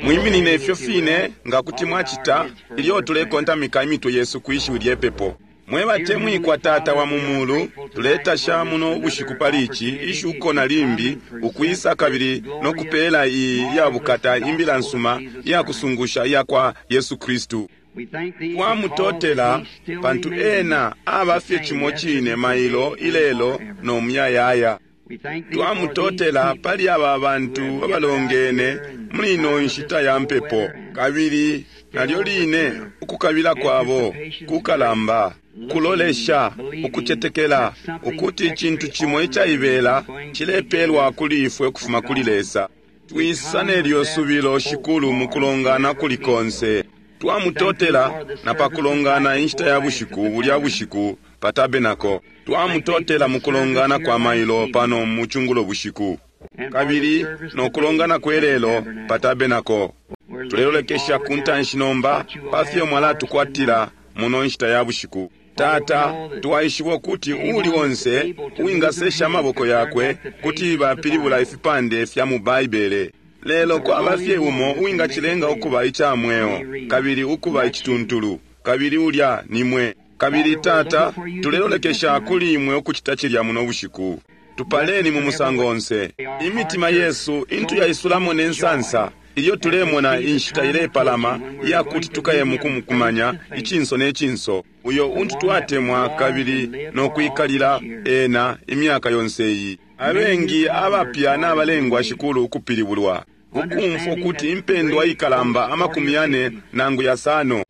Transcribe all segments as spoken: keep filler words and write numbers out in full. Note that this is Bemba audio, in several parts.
Mwiminine ifyo fine nga kuti mwacita ilyo tulekontamika imitwe yesu kwi shiwi lye pepo. Mwe batemwikwa Tata wa mu mulu, tuletasha muno bushiku pali ici ishuko na limbi ukwisa kabili no kupeela iyi ya bukata imbila nsuma iya kusungusha iya kwa Yesu Kristu. Twamutotela pantu ena aba fye cimo cine mailo, ilelo no muyayaya. Twamutotela pali aba bantu abalongene muli ino nshita ya mpepo, kabili nalyo line ukukabila kwabo kukalamba, kulolesha, ukucetekela ukuti icintu cimo icaibela cilepelwa kuli ifwe ukufuma kuli Lesa. Twisa nelyo subilo Shikulu mu kulongana kuli konse. Twamutotela na pa kulongana inshita ya bushiku bulya bushiku pa tabenako. Twamutotela mu kulongana kwa mailo pano mu cungulo bushiku, kabili no kulongana kwelelo pa tabenako. Tulelolekesha ku ntanshi nomba pa fyo mwalatukwatila muno nshita ya bushiku. Tata, twaishiba ukuti uuli onse uwingasesha amaboko yakwe kuti bapilibula ifipande fya mu Baibele. Lelo kwaba fye umo uwingacilenga ukuba ica mweo kabili ukuba icituntulu, kabili ulya ni mwe. Kabili Tata, tulelolekesha kuli imwe ukucita cilya muno bushiku. Tupaleni mu musango onse. Imitima yesu intu yaisulamo ne nsansa ilyo tulemona inshita ilepalama iya kuti tukaye mukumukumanya icinso ne cinso, uyo untu twatemwa kabili no kwikalila ena imyaka yonse iyi. Abengi abapya nabalengwa Shikulu ukupilibulwa, ukumfwa ukuti impendwa ikalamba amakumi yane nangu yasano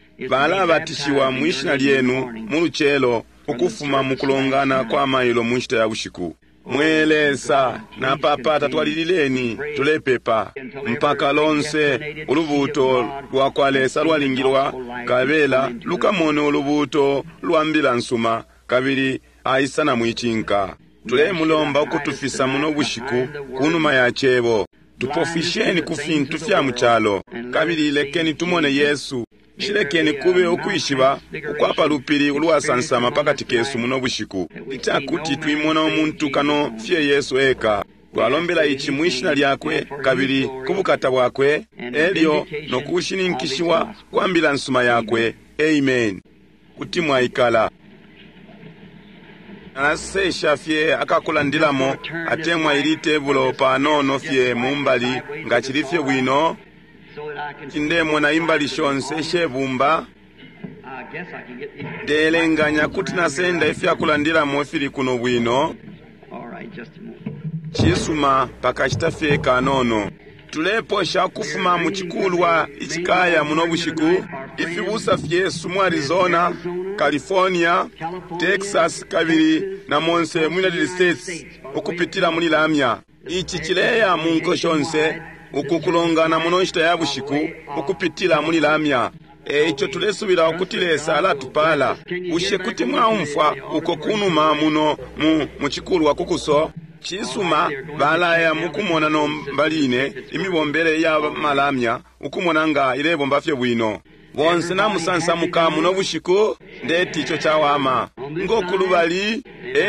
balabatishiwa mwi shina lyenu mu lucelo ukufuma mu kulongana kwa mailo mu nshita ya bushiku. Mwe Lesa, napapata twalilileni, tulepepa mpaka lonse ulubuuto lwa kwa Lesa lwalingilwa kabela lukamone ulubuuto lwa mbila nsuma kabili aisa na mwicinka. Tulemulomba ukutufisa muno bushiku kunuma ya cebo. Tupofisheni ku fintu fya mu calo kabili lekeni tumone Yesu. Shilekeni kube ukwishiba ukwa palupili ulwasansama pakati kesu muno bushiku, icakuti twimona umuntu kano fye Yesu eka. Twalombela ici mwi shina lyakwe kabili ku bukata bwakwe, elyo no kushininkishiwa kwa mbila nsuma yakwe. Amen. Kuti mwaikala. Nalasesha fye akakulandilamo atemwa ili tebulo panono fye mumbali nga cili fye bwino. Ndemona imbali shonse shebumba. Ndelenganya kuti nasenda ifyakulandilamo ifili kuno bwino. Cisuma, pakashita fye kanono. Tuleposha ukufuma mu cikulwa icikaya muno bushiku ifibusa fyesu mu Arizona, California, Texas kabili na monse mu United States ukupitila muli lamya. Ici cileya mu nko shonse uku kulongana muno nshita ya bushiku ukupitila muli lamya. Eico tulesubila ukuti Lesa alatupala. Bushe kuti mwaumfwa uko kunuma muno mu mucikulwa kukuso? Cisuma, balaya mukumona nomba line imibombele ya malamya ukumona nga ilebomba fye bwino. Bonse namusansamuka muno bushiku, ndeti ico cawama. Ngokulubali,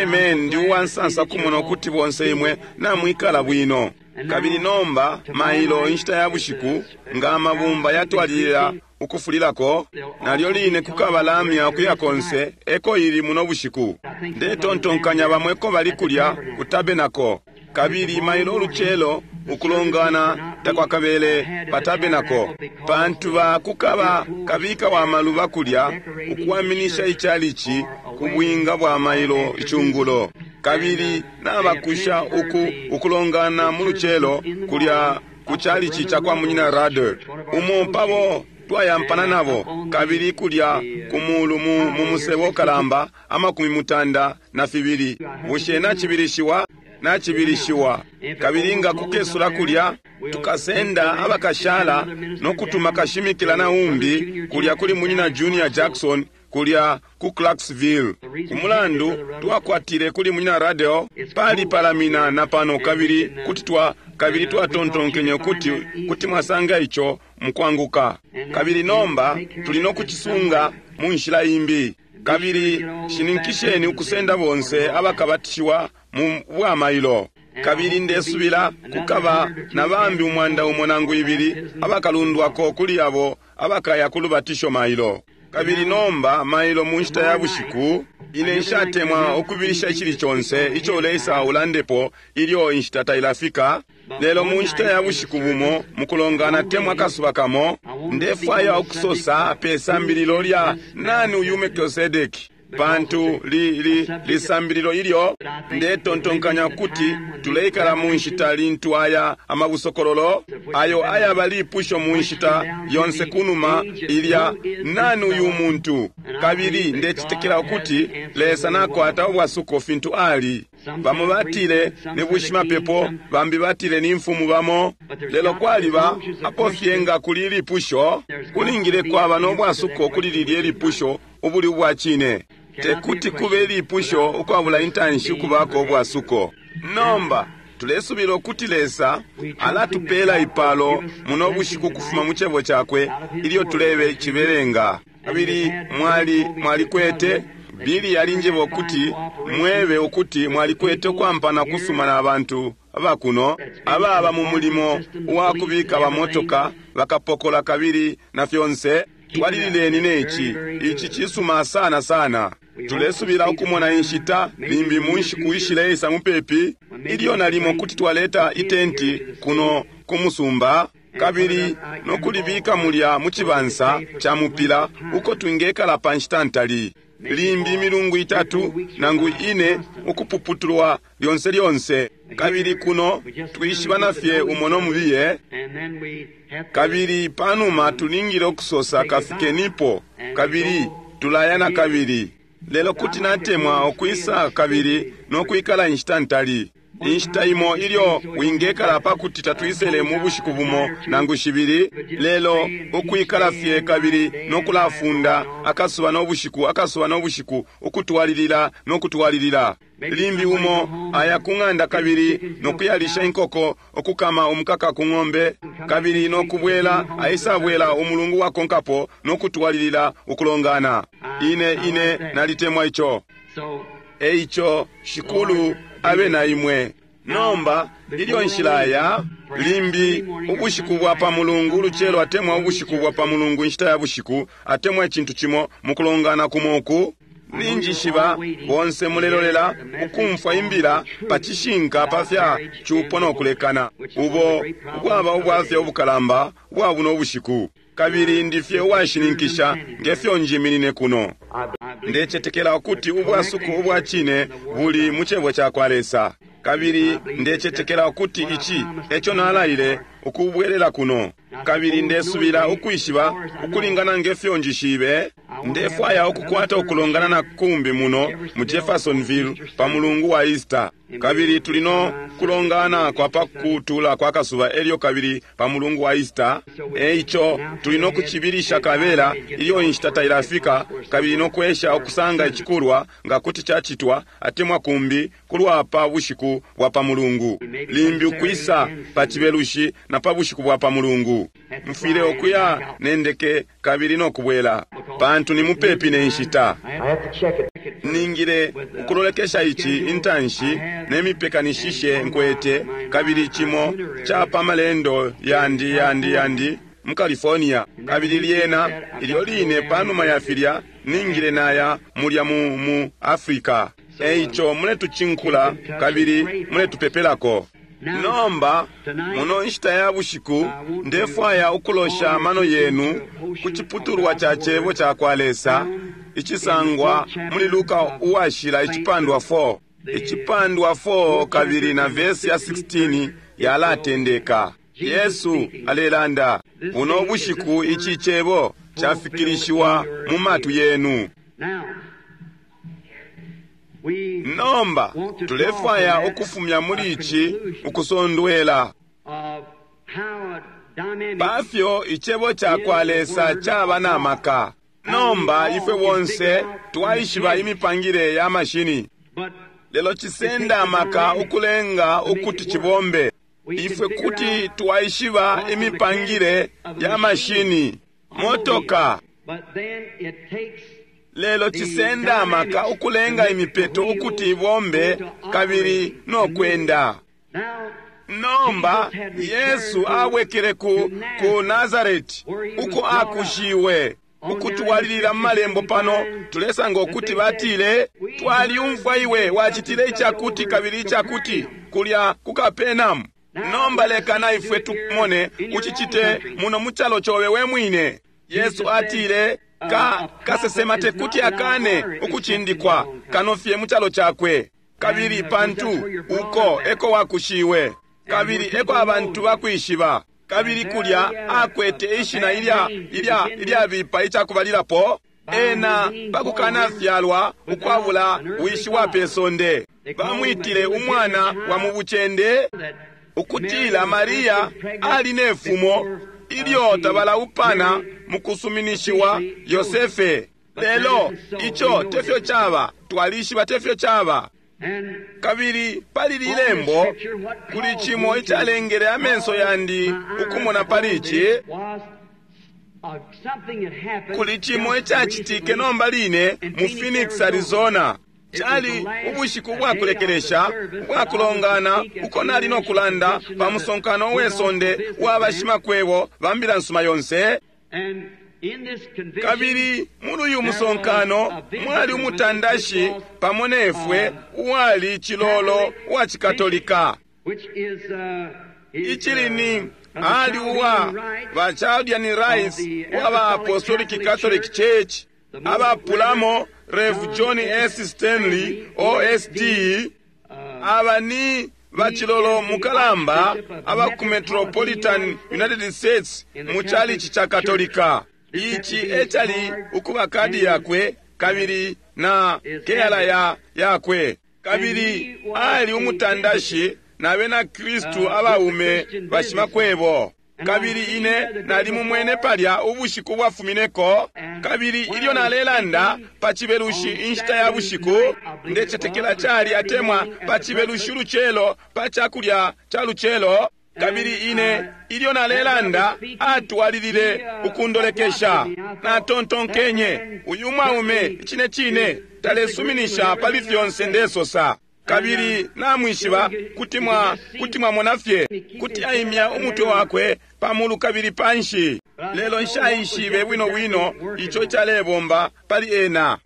amen, ndi uwansansa kumona ukuti bonse imwe namwikala bwino. Kabili nomba mailo inshita ya bushiku nga amabumba yatwalilila ukufulilako, nalyo line kukaba lamya ukuya konse eko ili muno bushiku. Ndetontonkanya bamwe ko bali kulya ku tabenako, kabili mailo ulucelo ukulongana takwakabele pa tabenako, pantu ba kukaba kabika wa maluba kulya ukuwaminisha ichalichi ku bwinga bwa mailo icungulo. Kabili nabakusha uku ukulongana mu lucelo kulya ku chalichi cha kwa munyina Rader, umo pabo twayampana nabo, kabili kulya kumulu mu, mu musebo kalamba amakumi mutanda na fibili. Bushe nacibilishiwa? Nacibilishiwa. Kabili nga kukesula kulya tukasenda abakashala no kutuma kashimikila na umbi kulya kuli munyina Junior Jackson kulya ku Clarksville. Kumulandu twakwatile kuli munyina Radio pali palamina na pano, kabili kuti twa kabili twatontonkenye kuti kuti mwasanga ico mukwanguka. Kabili nomba tuli no kucisunga mu nshila imbi. Kabili shininkisheni ukusenda bonse abakabatishiwa mu bwamailo. Kabili ndesubila kukaba na bambi umwanda umo nangu ibili abakalundwako kuli abo abakaya ku lubatisho mailo. Kabili nomba mailo mu nshita ya bushiku, ine nshatemwa ukubilisha icili conse ico uleisa ulandepo ilyo inshita tailafika. Lelo mu nshita ya bushiku bumo mukulongana temwa kasuba kamo, ndefwaya ukusosa pe sambililo lya nani uyu Melkisedeki, pantu li, li, lisambililo ilyo ndetontonkanya kuti tuleikala mu nshita lintu aya amabusokololo ayo ayaba lipusho mu nshita yonse kunuma ilya nani uyu muntu. Kabili ndecetekela ukuti Lesa nakwata ubwasuko fintu ali. Bamo batile ni bushimapepo, bambi batile ni mfumu bamo, lelo kwaliba apo fye nga kuli lipusho kulingile kwaba no bwasuko kuli lilye lipusho ubuli ubwa cine. Tekuti kube lipusho ukwabula intanshi ukubako ubwasuko. Nomba tulesubila ukuti Lesa alatupela ipalo muno bushiku kufuma mu cebo cakwe ilyo tulebe cibelenga. Kabili mwali mwalikwete Bili yalinjeba ukuti mwebe ukuti mwalikwete ukwampana kusuma na bantu abakuno ababa mu mulimo wa kubika bamotoka bakapokola kabili na fyonse. Twalilileni neci, ici cisuma sana sana. Tulesubila ukumona inshita limbi mu nshiku ishileisa mupepi ilyo nalimo kuti twaleta itenti kuno ku musumba kabili nokulibika mulya mu cibansa ca mupila uko twingekala pa nshita ntali, limbi imilungu itatu nangu ine ukupuputulwa lyonse lyonse. Kabili kuno twishibana fye umo no mubiye, kabili panuma tulingile ukusosa kafikenipo, kabili tulaya na kabili. Lelo kuti natemwa ukwisa kabili nokwikala inshita ntali, inshita imo ilyo wingekala pakuti tatwisele mu bushiku bumo nangu shibili, lelo ukwikala fye kabili nokulafunda akasuba no bushiku, akasuba no bushiku, ukutwalilila nokutwalilila. Limbi umo aya ku ng'anda kabili nokuyalisha inkoko, okukama umukaka ku ng'ombe, kabili nokubwela aisabwela umulungu wakonkapo nokutwalilila ukulongana. Ine ine nalitemwa ico. Eico Shikulu abe na imwe. Nomba ilyo nshilaya limbi ubushiku bwa pa mulungu ulucelo atemwa ubushiku bwa pa mulungu inshita ya bushiku atemwa icintu cimo mukulongana kumo uku, ninjishiba bonse mulelolela ukumfwa imbila pa cishinka pa fya cupo no kulekana, ubo ubwaba ubwafya ubukalamba bwa buno bushiku. Kabili ndifye uwashininkisha ngefyo njiminine kuno. Ndecetekela ukuti ubwasuko ubwa cine buli mu cebo ca kwa Lesa. Kabili ndecetekela ukuti ici eco nalaile ukubwelela kuno. Kabili ndesubila ukwishiba ukulingana ngefyo njishibe. Ndefwaya ukukwata ukulongana na kumbi muno mu Jeffersonville pa mulungu wa Easter. Kabili tuli no kulongana kwa pakutula kwa kasuba elyo kabili pa mulungu wa Easter. Eico tuli no kucibilisha kabela ilyo inshita tailafika, kabili no kwesha ukusanga icikulwa nga kuti cacitwa atemwa kumbi kulwa pa bushiku bwa pa mulungu, limbi ukwisa pa cibelushi na pa bushiku bwa pa mulungu. Mfwile ukuya nendeke kabili no kubwela pantu ni mupepi ne nshita. Ningile ukulolekesha ici intanshi nemipekanishishe nkwete, kabili cimo ca pa malendo yandi yandi yandi mu California. Kabili lyena ilyo line panuma ya filya ningile naya mulya mu, mu Africa. Eico muletucinkula kabili muletupepelako. Nomba muno nshita ya bushiku ndefwaya ukulosha amano yenu ku ciputulwa ca cebo ca kwa Lesa icisangwa muli Luka uwashila icipandwa four. Icipandwa four kabili na vesi ya sixteen yalatendeka. Yesu alelanda, buno bushiku ici cebo cafikilishiwa mu matu yenu. Nomba tulefwaya ukufumya muli ici ukusondwela pafyo icebo ca kwa Lesa caba na maka. Nomba ifwe bonse twaishiba imipangile ya mashini, lelo cisenda amaka ukulenga ukuti cibombe. Ifwe kuti twaishiba imipangile ya mashini motoka, lelo cisenda amaka ukulenga imipeto ukuti ibombe kabili no kwenda. Nomba Yesu abwekele ku, ku Nazareti uko akushiwe. Ukutwalilila mu malembo pano tulesanga ukuti batile, twaliumfwa iwe wacitile icakuti kabili icakuti kulya ku Kapenamu. Nomba leka na ifwe tumone ucicite muno mu calo cobe we mwine. Yesu atile, ka kasesema tekuti akane ukucindikwa kano fye mu calo cakwe, kabili pantu uko eko wakushiwe, kabili eko abantu bakwishiba. Kabili kulya akwete ishina ilya ilya ilyabipa icakubalilapo, ena pakukanafyalwa ukwabula wishi wa pesonde. Bamwitile umwana wa mu bucende, ukutila Maria ali nefumo ilyo tabalaupana mukusuminishiwa Yosefe. Lelo ico tefyo caba, twalishiba tefyo caba. Kabili pali lilembo kuli cimo icalengele amenso yandi ukumona pali ici, kuli cimo icacitike nomba line mu Phoenix, Arizona. Cali ubushiku bwakulekelesha ubwakulongana uko nali no kulanda pa musonkano we sonde wa bashimakwebo ba mbila nsuma yonse. Kabili muli uyu musonkano mwali umutandashi pamo nefwe uwali cilolo wa Cikatolika, icili ni ali uwa ba Chaldean Rites wa ba Apostolic Catholic Church, abapulamo Rev John S. Stanley O S D, aba ni bacilolo mukalamba aba ku Metropolitan United States mu chalichi cha Katolika. Ici ecali ukuba kadi yakwe kabili na keyala ya yakwe, kabili ali umutandashi na bena Kristu abaume bashimakwebo. Kabili ine nali mumwene palya ubushiku bwafumineko, kabili ilyo nalelanda pa cibelushi inshita ya bushiku, ndecetekela cali atemwa pa cibelushi lucelo pa cakulya ca lucelo, kabili ine ilyo nalelanda atwalilile ukundolekesha. Natontonkenye, uyu mwaume icine cine talesuminisha pali fyonse ndesosa. Kabili namwishiba kuti mwa kuti mwamona fye kuti aimya umutwe wakwe pamulu kabili panshi, lelo nshaishibe bwino bwino ico calebomba pali ena.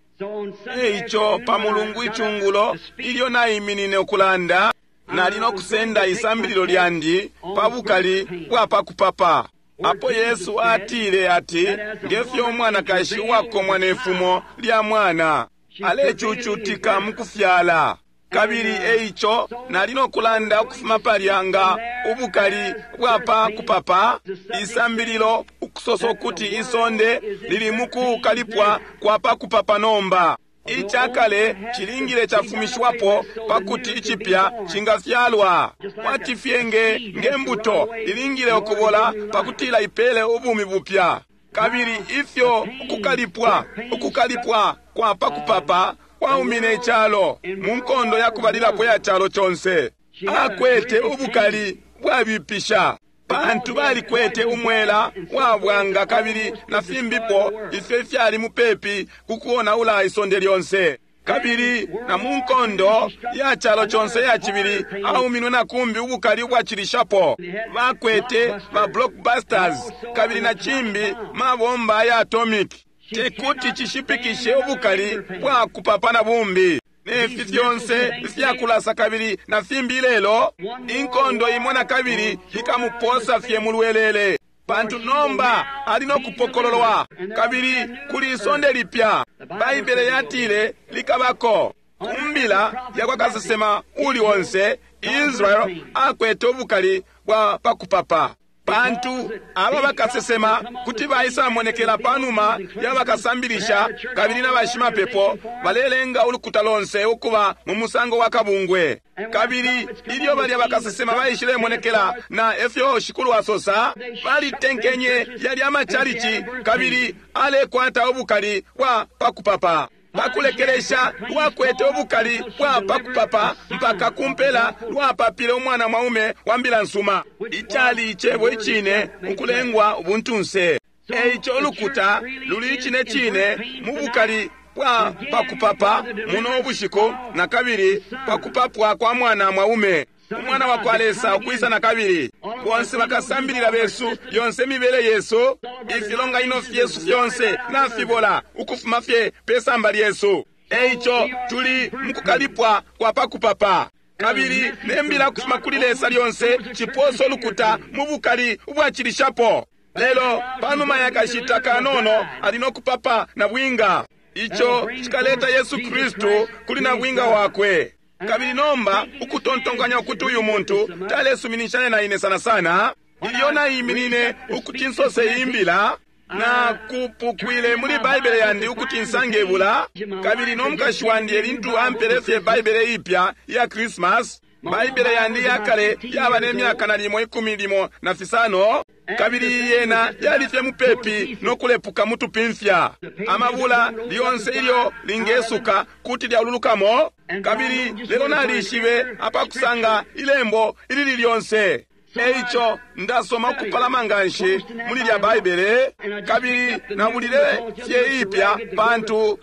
Eico pa mulungu icungulo ilyo naiminine ukulanda, nali no kusenda isambililo lyandi pa bukali bwa pakupapa, apo Yesu atile ati ngefyo umwanakashi uwakomwa nefumo lya mwana alecucutika mukufyala. Kabili eico nali no kulanda ukufuma palya nga ubukali bwa pa kupapa, isambililo ukusosa ukuti isonde lili mukukalipwa kwa pa kupapa nomba. Icakale cilingile cafumishiwapo pakuti icipya cingafyalwa. Kwati fye nge ngembuto ilingile ukubola pakutila ipele ubumi bupya. Kabili ifyo ukukalipwa ukukalipwa kwa pa kupapa kwaumine icalo mu nkondo ya kubalilapo ya calo conse. Akwete ubukali bwabipisha pantu balikwete umwela wa bwanga kabili na fimbipo ifyo ifyali mupepi ku kuonaula isonde lyonse. Kabili na mu nkondo ya calo conse ya cibili auminwe na kumbi ubukali ubwacilishapo. Bakwete ba blockbusters kabili na cimbi mabomba ya atomic. Tekuti cishipikishe ubukali bwa kupapa na bumbi nefi fyonse ifyakulasa kabili na fimbi. Lelo inkondo imo na kabili ikamuposa fye mulwelele, pantu nomba ali no kupokololwa kabili kuli isonde lipya. Baibele yatile likabako kumbila ya kwa kasesema uli onse. Israel akwete ubukali bwa pakupapa, pantu aba bakasesema kuti baisamonekela panuma ya bakasambilisha kabili na bashimapepo balelenga ulukuta lonse ukuba mu musango wa kabungwe. Kabili ilyo balya bakasesema baishilemonekela na efyo Shikulu asosa, balitenkenye yali amachalichi kabili alekwata ubukali bwa pakupapa. Pakulekelesha lwakwete ubukali bwa pakupapa mpaka kumpela lwapapile umwana mwaume wa mbila nsuma, icali icebo icine ukulengwa ubuntunse. Eico ulukuta luli icine cine mu bukali bwa pakupapa muno ubushiku, na kabili pakupapwa kwa mwana mwaume. Umwana wa kwa Lesa ukwisa na kabili. Bonse bakasambilila besu, yonse mibele yesu, ifilonganino fyesu fyonse nafibola ukufuma fye pe samba lyesu. Eico tuli mukukalipwa kwa pakupapa. Kabili nembila kufuma kuli Lesa lyonse ciposo lukuta mu bukali ubwacilishapo. Lelo panuma ya kashita kanono ali no kupapa na bwinga. Ico cikaleta Yesu Kristu kuli na bwinga wakwe. Kabili nomba ukutontonkanya ukuti uyu muntu talesuminishanya na ine sana sana, ilyo naiminine ukuti nsose imbila, na kupukwile muli Baibele yandi ukuti nsange ibula. Kabili no mukashi wandi elintu ampele fye Baibele ipya ya Christmas. Baibele yandi yakale yaba ne myaka nalimo ikumi limo na fisano, kabili yena yali fye mupepi no kulepuka mutupimfya. Amabula lyonse ilyo lingesuka kuti lyaululukamo, kabili lelo nalishibe apakusanga ilembo ilili lyonse. Eico ndasoma ukupalama nganshi muli lya Baibele, kabili nabulile fye ipya pantu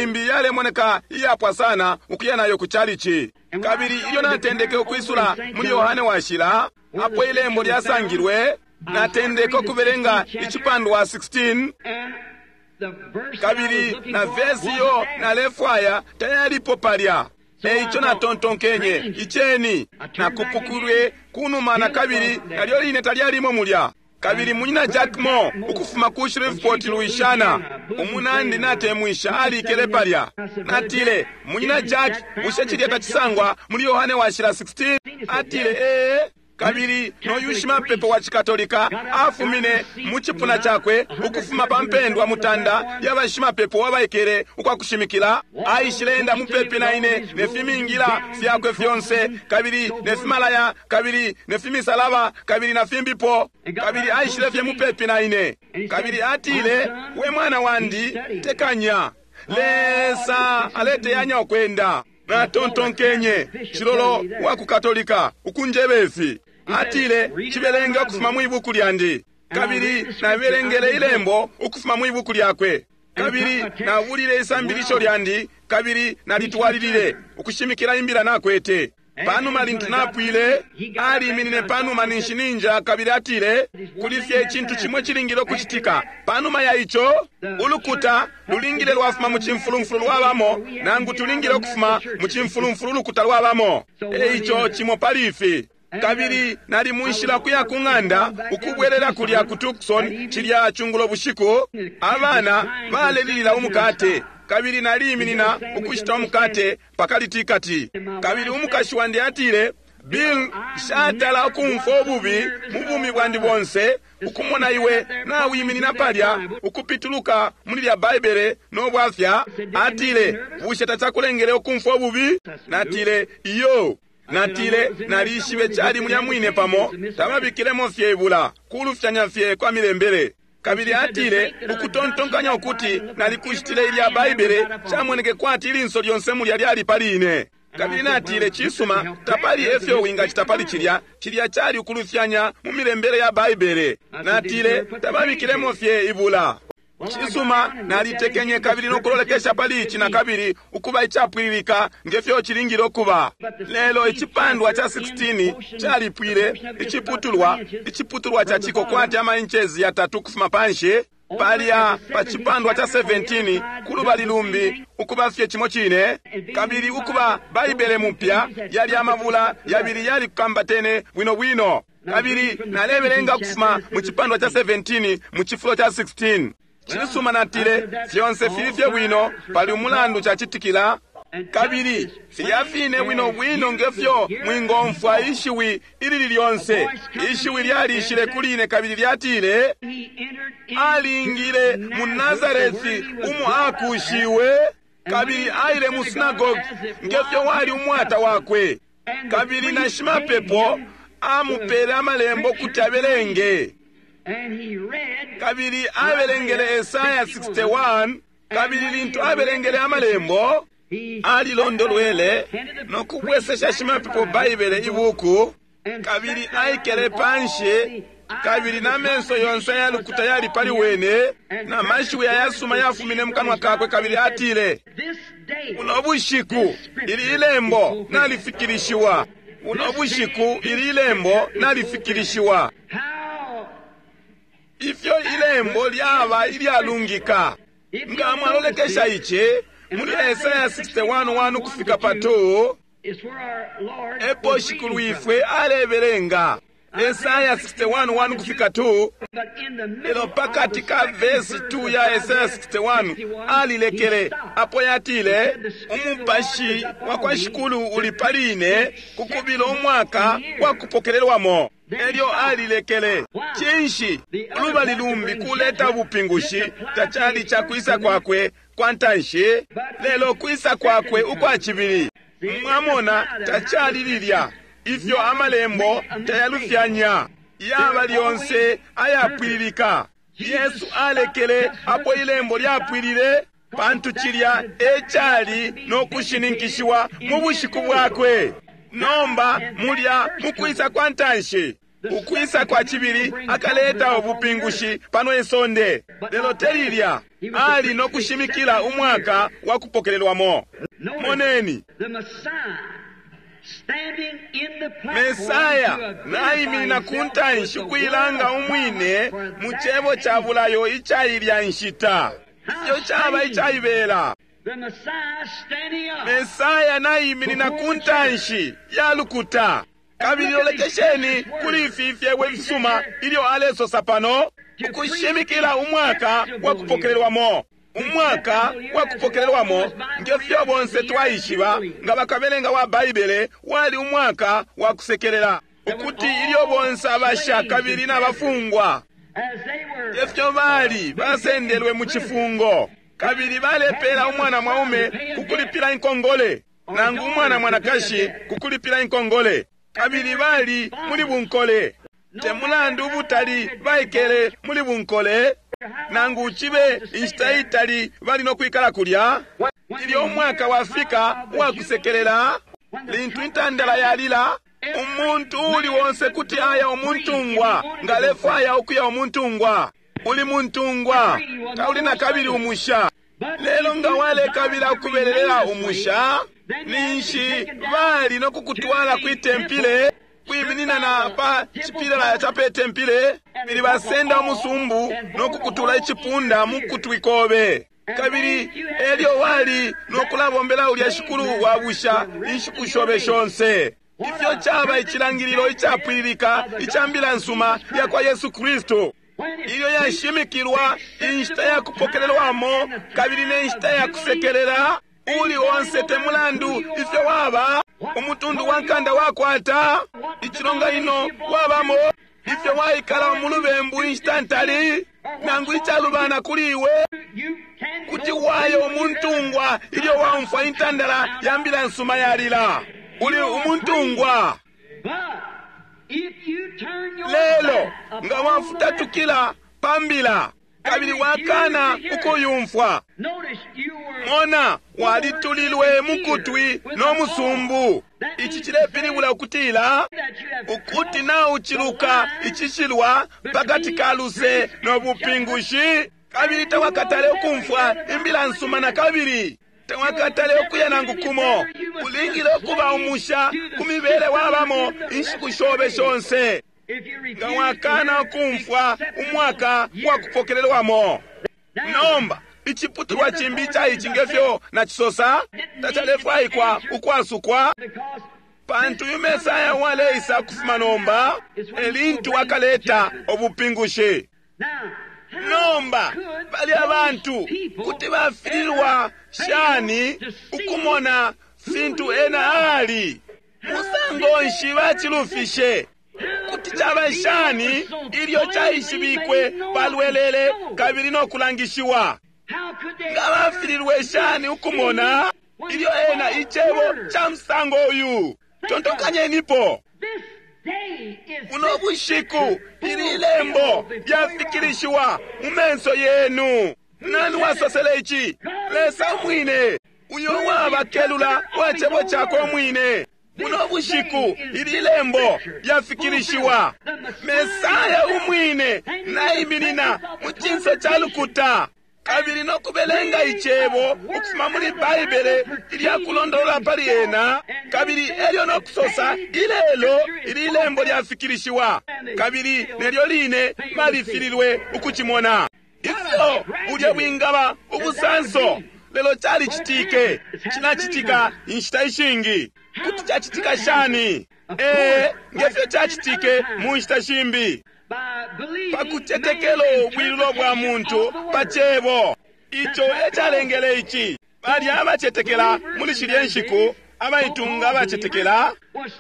imbi yalemoneka iyapwa sana ukuya nayo ku chalichi. Kabili ilyo natendeke ukwisula muli Yohane Washila, apo ilembo lyasangilwe, natendeke ukubelenga icipandwa sixteen, kabili na vesi iyo nalefwaya tayalipo palya. Eico natontonkenye, iceni, nakupukulwe kunuma na kabili nalyo line talyalimo mulya. Kabili munyina Jack Moore ukufuma ku Shreveport, Louisiana, umunandi natemwisha alikele palya. Natile, munyina Jack, bushe cilya tacisangwa muli Yohane Washila sixteen? Atile, ee. Kabili noyu shimapepo wa Chikatolika afumine mu cipuna cakwe ukufuma pa mpendwa mutanda ya bashimapepo wabaikele ukwa kushimikila. Aishile mupepi na ine ne fimingila fyakwe fyonse, kabili ne fimalaya, kabili ne fimisalaba, kabili na fimbipo, kabili aishile fye mupepi na ine. Kabili atile, we mwana wandi, tekanya, Lesa aleteyanya ukwenda. Natontonkenye, cilolo wa ku Katolika ukunjebe ifi. Atile, cibelenge ukufuma mu ibuku lyandi. Kabili nabelengele ilembo ukufuma mu ibuku lyakwe. Kabili nabulile isambilisho lyandi, kabili nalitwalilile ukushimikila imbila nakwete. Panuma lintu napwile, aliminine panuma ninshi ninja, kabili atile, kuli fye icintu cimwe cilingile ukucitika. Panuma ya ico, ulukuta lulingile lwafuma mu cimfulumfulu lwabamo, nangu tulingile ukufuma mu cimfulumfulu ulukuta lwabamo. Eico cimo pali ifi. Kabili nali munshila kuya ku ng'anda ukubwelela kulya ku Tucson cilya cungulo bushiku. Abana balelilila umukate, kabili naliiminina ukushita umukate pakalitikati. Kabili umukashi wandi atile, Bill, nshatala ukumfwa ububi mu bumi bwandi bonse ukumona iwe nawiminina palya ukupituluka muli lya Baibele no bwafya. Atile, bushe tacakulengele ukumfwa ububi? Natile, iyo. Natile, nalishibe cali mulya mwine pamo, tababikilemo fye ibula, kulufyanya fye kwa milembele. Kabili atile, ukutontonkanya ukuti nalikushitile ilya Baibele, camoneke kwati ilinso lyonse mulya lyali pali ine. Kabili natile, cisuma, tapali efyo wingacita pali cilya, cilya cali ukulufyanya mu milembele ya Baibele. Natile, tababikilemo fye ibula. Cisuma, nalitekenye kabili nokulolekesha pali ici na kabili ukuba icapwililika ngefyo cilingile ukuba. Lelo icipandwa ca sixteen calipwile iciputulwa, iciputulwa ca ciko kwati ama inches yatatu kufuma panshi, palya pa cipandwa ca seventeen kulubali lumbi ukuba fye cimo cine, kabili ukuba Baibele mupya yali amabula yabili yali kukambatene bwino bwino. Kabili nalebelenga kufuma mu cipandwa ca seventeen mu cifulo ca sixteen. Cisuma, natile, fyonse fili fye bwino pali umulandu cacitikila, kabili filya fine bwino bwino ngefyo mwingomfwa ishiwi ilili lyonse. Ishiwi lyalishile kuli ine kabili lyatile, alingile mu Nazareti umo akushiwe, kabili aile mu sinagogi ngefyo wali umwata wakwe, kabili na shimapepo amupele amalembo kuti abelenge. Kabili abelengele Esaya sixty-one, kabili lintu abelengele amalembo, alilondolwele no kubwesesha shimapepo Baibele ibuku, kabili aikele panshi, kabili na menso yonse yalukuta yali pali wene, na mashiwi ayasuma yafumine mu kanwa kakwe, kabili atile, buno bushiku ili ilembo nalifikilishiwa. Buno bushiku ili lembo nalifikilishiwa. Ifyo ilembo lyaba ilyalungika. Nga mwalolekesha ici muli Esaya sixty-one one ukufika pa two, epo Shikulwifwe alebelenga. Esaya sixty-one one ukufika two, lelo pakati ka vesi two ya Esaya sixty-one alilekele apo yatile, umupashi wa kwa Shikulu uli pali ine kukubila umwaka wa kupokelelwamo. Elyo alilekele. Cinshi? Ulubali lumbi kuleta ubupingushi tacali ca kwisa kwakwe kwa ntanshi, lelo kwisa kwakwe ukwa cibili. Mwamona, tacali lilya. Ifyo amalembo tayalufyanya, yaba lyonse ayapwililika. Yesu alekele apo ilembo lyapwilile, pantu cilya ecali no kushininkishiwa mu bushiku bwakwe. Nomba mulya mukwisa kwa ntanshi, ukwisa kwa cibili akaleta ubupingushi pano isonde. Lelo telilya ali no kushimikila umwaka wa kupokelelwamo. Moneni, Mesaya naiminina ku ntanshi ukuilanga umwine mu cebo ca bulayo icailya nshita. Ifyo caba icaibela. Mesaya naiminina ku ntanshi ya lukuta. Kabili lolekesheni kuli ifi ifyebo ifisuma ilyo alesosa pano, ukushimikila umwaka wa kupokelelwamo. Umwaka wa kupokelelwamo, ngefyo bonse twaishiba nga bakabelenga wa Baibele, wali umwaka wa kusekelela, ukuti ilyo bonse abasha kabili n'abafungwa efyo bali basendelwe mu cifungo, kabili balepela umwana mwaume kukulipila inkongole, nangu umwana mwanakashi kukulipila inkongole, kabili bali muli bunkole. Te mulandu ubutali baikele muli bunkole, nangu cibe inshita itali bali no kwikala kulya. Ilyo umwaka wafika uwakusekelela, lintu intandala yalila, umuntu uli wonse kuti aya umuntungwa, nga alefwaya ukuya umuntungwa. Uli muntungwa, tauli na kabili umusha. Lelo nga walekabila ukubelelela umusha, ninshi bali no kukutwala kwi tempile, kwiminina na pa cipilala ca pe tempile, kabili basenda umusumbu no kukutula icipunda mu kutwi kobe. Kabili elyo wali no kulabombela ulya shikulu wa busha inshiku shobe shonse. Ifyo caba icilangililo icapwililika ica mbila nsuma ya kwa Yesu Kristu, ilyo yashimikilwa inshita ya kupokelelwamo kabili ne nshita ya kusekelela. Uli onse te mulandu ifyo waba, umutundu wa nkanda wakwata, icilonganino wabamo, ifyo waikala mu lubembu inshita ntali, nangu icalubana kuli iwe, kuti wayo umuntungwa ilyo waumfwa intandala ya mbila nsuma yalila. Uli umuntungwa. Lelo nga wafutatukila pa mbila kabili wakana ukuyumfwa, mona, walitulilwe mukutwi no musumbu. Ici cilepilibula ukutila ukuti nauciluka icishilwa pakati ka luse no bupingushi, kabili tawakatale ukumfwa imbila nsuma na kabili tawakatale ukuya nangu kumo. Ulingile ukuba umusha ku mibele wabamo inshiku shobe shonse, nga wakana ukumfwa umwaka wa kupokelelwamo. Nomba iciputulwa cimbi ica ici ngefyo nacisosa tacalefwaikwa ukwasukwa, pantu uyu Mesaya waleisa kufuma nomba elintu akaleta ubupingushi. Nomba bali abantu kuti bafililwa shani ukumona fintu ena ali? Musango nshi bacilufishe? Kuti caba shani ilyo caishibikwe palwelele kabili no kulangishiwa? Nga bafililwe shani ukumona ilyo ena icebo ca musango uyu? Tontokanyenipo. Buno bushiku ili lembo lyafikilishiwa mu menso yenu. Nani wasosele ici? Lesa umwine, uyo wabakelula wa cebo cakwe umwine. Buno bushiku ili lembo lyafikilishiwa. Mesaya umwine naiminina mu cinso ca lukuta Kabili no kubelenga icebo ukufuma muli Baibele ilya kulondolola pali ena, kabili elyo no kusosa ilelo ili lembo lyafikilishiwa, kabili nelyo line balifililwe ukucimona. Ifyo bulya bwingaba ubusanso, lelo calicitike. Cinacitika inshita ishingi. Kuti cacitika shani? Ee, ngefyo cacitike mu nshita shimbi, pakucetekelo ubwilulo bwa muntu pa cebo. Ico ecalengele ici. Balya abacetekela muli shilye nshiku, abaitunga abacetekela,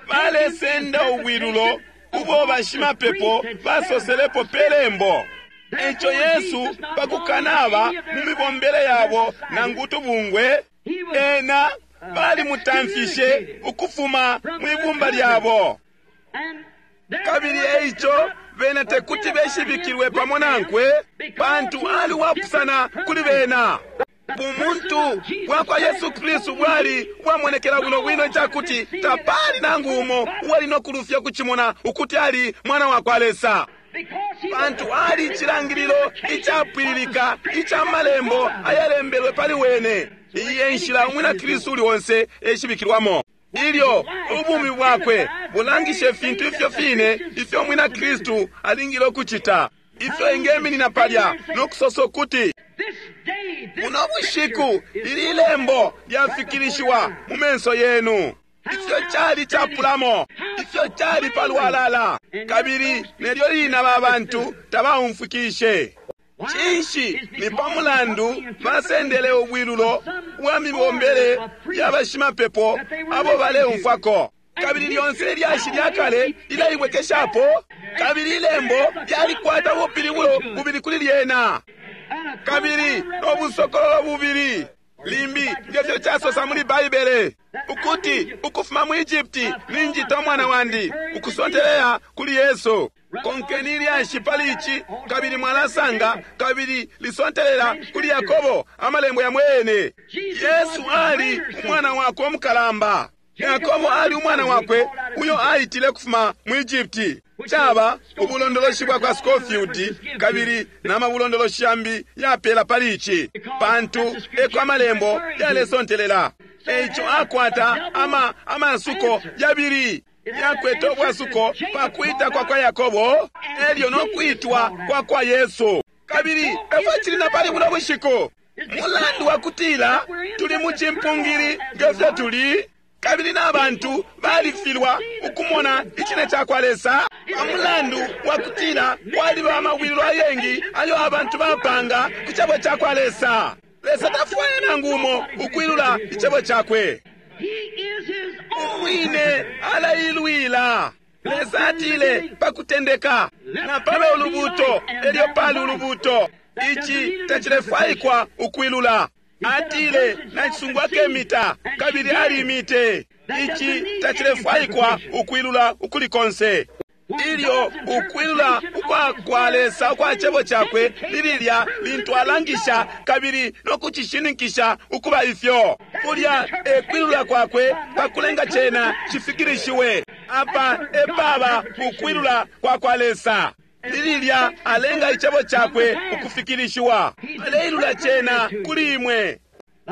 balesenda ubwilulo ubo bashimapepo basoselepo pe lembo. Eco Yesu pakukanaba mu mibombele yabo nangu tubungwe, ena balimutamfishe ukufuma mwibumba lyabo. Kabili eico bena tekuti beshibikilwe pamo nankwe, pantu ali wapusana kuli bena. Bumuntu bwakwa Yesu Kristu bwali bwamonekela bwino bwino icakuti tapali nangu umo uwali no kulufya kucimona ukuti ali mwana wakwa Lesa, pantu ali icilangililo icapwililika ica malembo ayalembelwe pali wene. Iyi e nshila umwina Kristu uli onse eshibikilwamo. Ilyo ubumi bwakwe bulangishe ifintu ifyo fine ifyo umwina Kristu alingile ukucita, ifyo engeminina palya no kusosa ukuti buno bushiku ili lembo lyafikilishiwa mu menso yenu. Ifyo cali capulamo, ifyo cali palwalala, kabili nelyo lina ba bantu tabaumfwikishe. Cinshi? Ni pa mulandu basendele ubwilulo bwa mibombele ya bashimapepo abo baleumfwako. Kabili lyonse ilyashi lya kale lilaibwekeshapo, kabili ilembo lyalikwata ubupilibulo bubili kuli lyena, kabili no busokololo bubili. Limbi ngefyo casosa muli Baibele ukuti ukufuma mu Egypti ninjita umwana wandi, ukusonteleya kuli Yesu. Konkeni ilyashi pali ici, kabili mwalasanga, kabili lisontelela kuli Yakobo amalembo ya mwene. Yesu ali umwana wakwe umukalamba. Yakobo ali umwana wakwe uyo aitile kufuma mu Egypti. Caba ubulondoloshi bwa kwa Scofield kabili na mabulondoloshi yambi yapela pali ici, pantu eko amalembo yalesontelela. Eico akwata ama amasuko yabili. Yakwete ubwasuko pa kwita kwa kwa Yakobo elyo no kwitwa kwa kwa Yesu. Kabili efo cili na pali buno bushiku. Mulandu wa kutila tuli mu cimpungili ngefyo tuli, kabili n'abantu balifilwa ukumona icine ca kwa Lesa pamulandu wa kutila kwaliba amabwililo ayengi ayo abantu bapanga ku cebo ca kwa Lesa. Lesa tafwaya nangu umo ukwilula icebo cakwe. Umwine alailwila. Lesa atile pakutendeka na pabe ulubuto, elyo pali ulubuto. Ici tacilefwaikwa ukwilula. Atile nacisungwa kemita, kabili alimite. Ici tacilefwaikwa ukwilula ukuli konse. Ilyo ukwilula ukwa kwa Lesa ukwa cebo cakwe lililya lintu alangisha kabili no kucishininkisha ukuba ifyo, kulya ekwilula kwakwe pakulenga cena cifikilishiwe. Apa epaba ukwilula kwa kwa Lesa. Lililya alenga icebo cakwe ukufikilishiwa, aleilula cena kuli imwe.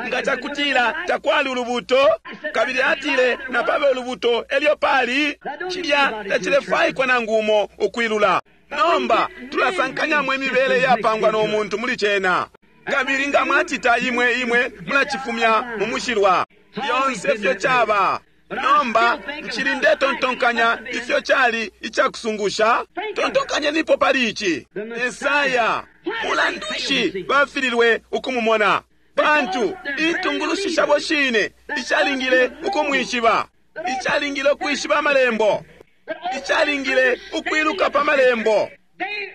Nga cakutila takwali ulubuto, kabili atile napabe ulubuto elyo pali, cilya tacilefwaikwa nangu umo ukwilula. Nomba tulasankanyamo imibele yapangwa no muntu muli cena, kabili nga mwacita imwe imwe mulacifumya mu mushilwa. Lyonse ifyo caba. Nomba nchili ndetontonkanya ifyo cali icakusungusha. Tontonkanyenipo pali ici. Esaya, mulandu nshi bafililwe ukumumona? Pantu intungulushi shabo shine icalingile ukumwishiba, icalingile ukwishiba amalembo, icalingile ukwiluka pa malembo.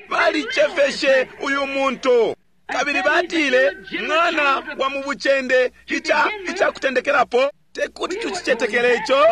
Balicefeshe uyu muntu, kabili batile mwana wa mu bucende ica icakutendekelapo. Tekuti tucicetekele ico.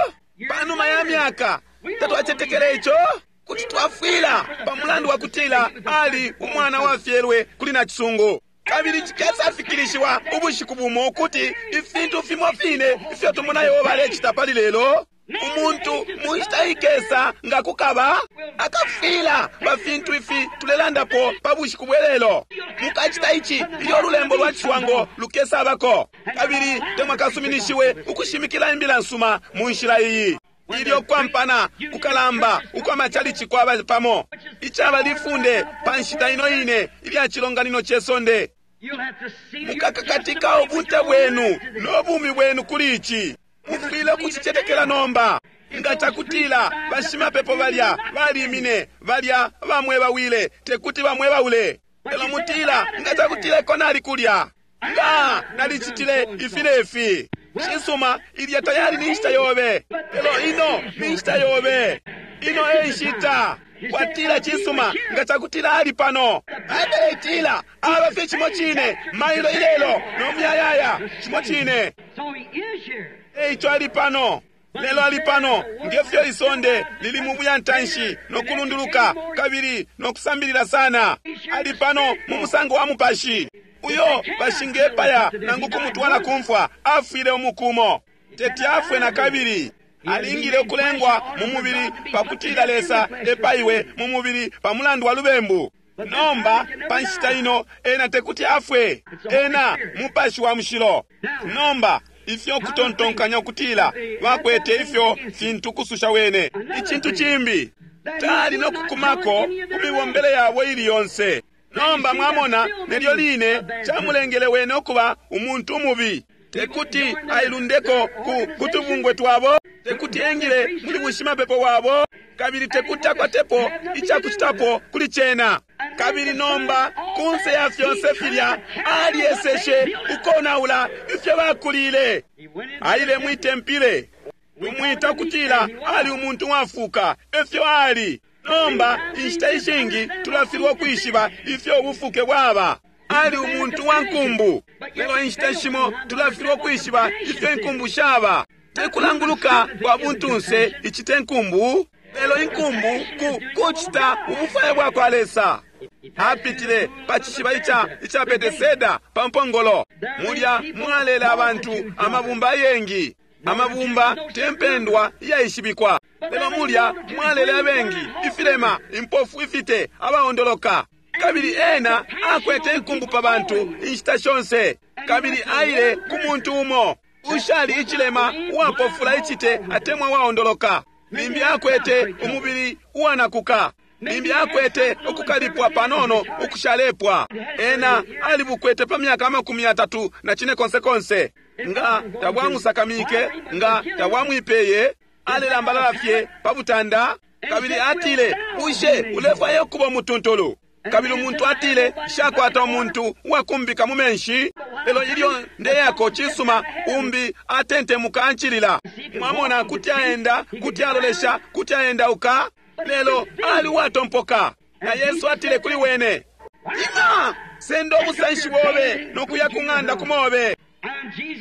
Panuma ya myaka tatwacetekele ico. Kuti twafwila pamulandu wa kutila ali umwana wafyelwe kuli nacisungu. Kabili cikesafikilishiwa ubushiku bumo ukuti ifintu fimo fine ifyo tumona Yehova alecita pali lelo, umuntu mu nshita ikesa nga kukaba Akafwila pa fintu ifi tulelandapo pa bushiku bwelelo. Mukacita ici ilyo ululembo lwa ciswango lukesabako, kabili temwakasuminishiwe ukushimikila imbila nsuma mu nshila iyi. Ilyo kwampana kukalamba ukwa machalichi kwaba pamo, icaba lifunde pa nshita ino ine ilya cilonganino ce sonde. Mukakakatika ubunte bwenu no bumi bwenu kuli ici. Mufwile kucicetekela nomba. Nga cakutila bashimapepo balya balimine, balya bamwebawile, tekuti bamwebaule. Lelo mutila, nga cakutila eko nali kulya, nga nalicitile ifi ne fi. Cisuma, ilya tayali ni nshita yobe, lelo ino ni nshita yobe. Ino e nshita. Watila, cisuma, nga cakutila ali pano. Baibele itila aba fye cimo cine mailo ilelo no muyayaya, cimo cine. Eico ali pano. Lelo ali pano ngefyo isonde lili mu buyantanshi no kulunduluka kabili no kusambilila sana. Ali pano mu musango wa mupashi uyo bashingepaya nangu kumutwala kumfwa, afwile umukumo, teti afwe na kabili. Alingile ukulengwa mu mubili pakutila Lesa epaiwe mu mubili pa mulandu wa lubembu. Nomba pa nshita ino ena tekuti afwe, ena mupashi wa mushilo. Nomba ifyo kutontonkanya ukutila bakwete ifyo fintu kususha wene. Icintu cimbi tali no kukumako ku mibombele yabo ili yonse. Nomba mwamona, nelyo line camulengele wene ukuba umuntu umubi. Tekuti ailundeko ku kutubungwe twabo, tekuti engile muli bushimapepo wabo, kabili tekuti akwatepo icakucitapo kuli cena. Kabili nomba kunse ya fyonse filya alyeseshe ukonaula ifyo bakulile. Aile mwitempile, tumwita kutila ali umuntu wafuka, efyo ali. Nomba inshita ishingi tulafilwa ukwishiba ifyo ubufuke bwaba. Ali umuntu wa nkumbu, lelo inshita shimo tulafilwa ukwishiba ifyo inkumbu shaba. Tekulanguluka kwa buntunse icite nkumbu, lelo inkumbu ku kucita ubufwayo bwa kwa Lesa. Apitile pa cishiba ica ica Beteseda pa mpongolo. Mulya mwalela abantu amabumba ayengi, amabumba tempendwa iyaishibikwa. Lelo mulya mwalele abengi, ifilema, impofu, ifite, abaondoloka. Kabili ena akwete inkumbu pa bantu inshita shonse. Kabili aile ku muntu umo ushali icilema, uwapofula icite atemwa waondoloka. Limbi akwete umubili uwanakuka, limbi akwete ukukalipwa panono ukushalepwa. Ena alibukwete pa myaka amakumi atatu na cine konse konse. Nga tabwamusakamike, nga tabwamwipeye, alelambalala fye pa butanda. Kabili atile, bushe ulefwaya ukuba umutuntulu? Kabili umuntu atile, shakwata umuntu uwakumbika mu menshi, lelo ilyo ndeyako cisuma, umbi atentemuka ancilila. Mwamona, kuti aenda, kuti alolesha, kuti aendauka, lelo ali uwatompoka. Na Yesu atile kuli wene, ima, senda ubusanshi bobe no kuya ku ng'anda kumobe.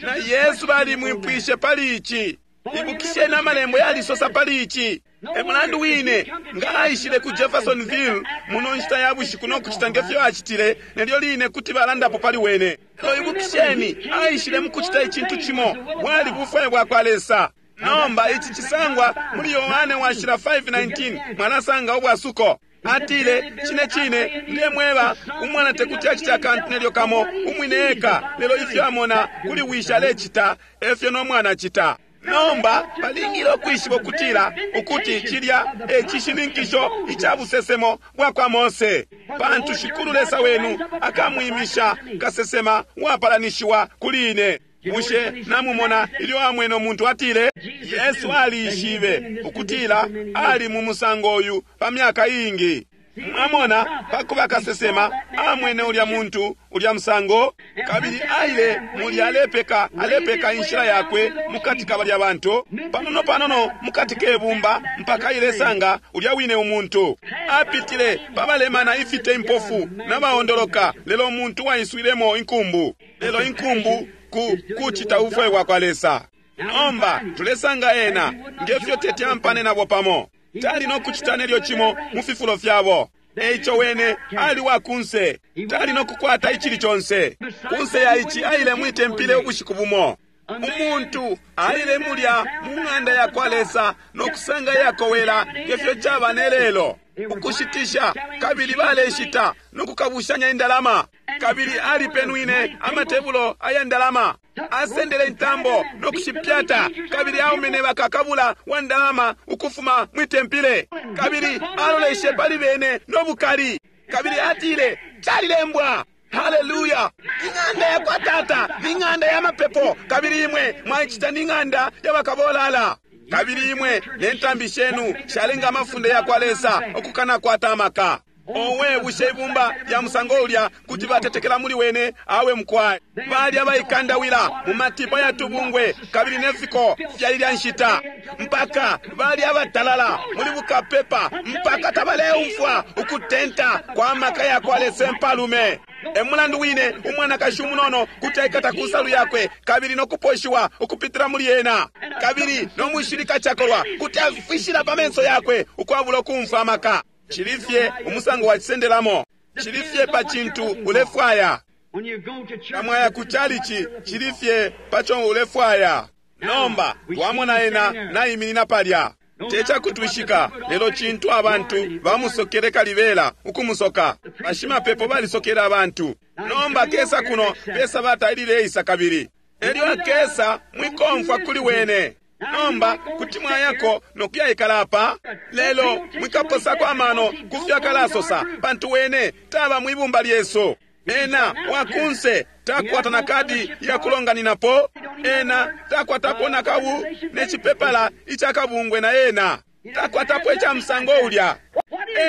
Na Yesu balimwipwishe pali ici. Ibukisheni amalembo yalisosa pali ici. E mulandu wine nga aishile ku Jeffersonville muno nshita ya bushiku no kucita ngefyo acitile, nelyo line kuti balandapo pali wene. Lelo ibukisheni, aishile mu kucita icintu cimo, bwali bufwayo bwa kwa Lesa. Nomba ici cisangwa muli Yohane washila five nineteen, mwalasanga ubwasuko. Atile, cine cine ndemweba, umwana tekuti acite akantu nelyo kamo umwine eka, lelo ifyo amona kuli wisha alecita, efyo no mwana acita. Nomba balingile ukwishiba ukutila ukuti cilya e cishininkisho ica busesemo bwa kwa Mose, pantu Shikulu Lesa wenu akamwimisha kasesema wapalanishiwa kuli ine. Bushe namumona ilyo amwene umuntu atile? Yesu aliishibe ukutila ali mu musango uyu pa myaka iingi. Mwamona, pakuba kasesema amwene ulya muntu ulya musango, kabili aile mulya alepeka alepeka inshila yakwe mukati ka balya bantu, panono panono mukati kebumba, mpaka ilesanga ulya wine umuntu. Apitile pabalemana ifite impofu nabaondoloka, lelo umuntu waiswilemo inkumbu. Lelo inkumbu ku kucita ubufwayo bwa kwa Lesa. Nomba tulesanga ena ngefyo tete ampane nabo pamo, tali no kucita nelyo cimo mu fifulo fyabo. Eico wene ali wa kunse, tali no kukwata icili conse. Kunse ya ici aile mwitempile ubushiku bumo. Umuntu aile mulya mu ng'anda ya kwa Lesa no kusanga yakowela ngefyo caba ne lelo. Ukushitisha, kabili baleshita no kukabushanya indalama. Kabili alipenwine amatebulo aya ndalama, asendele intambo no kushipyata, kabili aumene bakakabula wa ndalama ukufuma mwitempile, kabili aloleshe pali bene no bukali, kabili atile, calilembwa. Haleluya! Ing'anda ya kwa Tata ni ng'anda ya mapepo, kabili imwe mwaichita ni ng'anda ya bakabolala. Kabili imwe ne ntambi shenu shalenga amafunde ya kwa Lesa ukukana kwata amaka. Owe, bushe ibumba ya musango ulya kuti batetekela muli wene? Awe mkwai. Bali abaikandawila mu matipa ya tubungwe kabili nefiko fyali lya nshita, mpaka bali abatalala muli bukapepa, mpaka tabaleumfwa ukutenta kwa maka ya kwa Lesa mpalume. Emulandu wine umwanakashi umunono kuti aikata ku nsalu yakwe kabili nokuposhiwa ukupitila muli ena, kabili nomushilika chakolwa kuti afishila pa menso yakwe ukwabula ukumfwa amaka. Chilifye umusango wa chisendelamo, chilifye pa chintu ulefwaya. Kamwaya ku chalichi, chilifye pacho ulefwaya. Nomba twamona ena naiminina palya. Techakutwishika lelo chintu abantu bamusokele kalibela ukumusoka. Bashimapepo balisokela abantu. Nomba kesa kuno pesa batalileisa kabili. Elyo akesa mwikomfwa kuli wene. Nomba kuti mwayako nokuyaikala apa, lelo mwikaposako amano kufyakalasosa, pantu wene taba mwibumba lyesu. Ena wakunse takwata na kadi ya kulonganinapo, ena takwatapo na kabu nechipepala ichakabungwe na ena takwatapo icha msango ulya.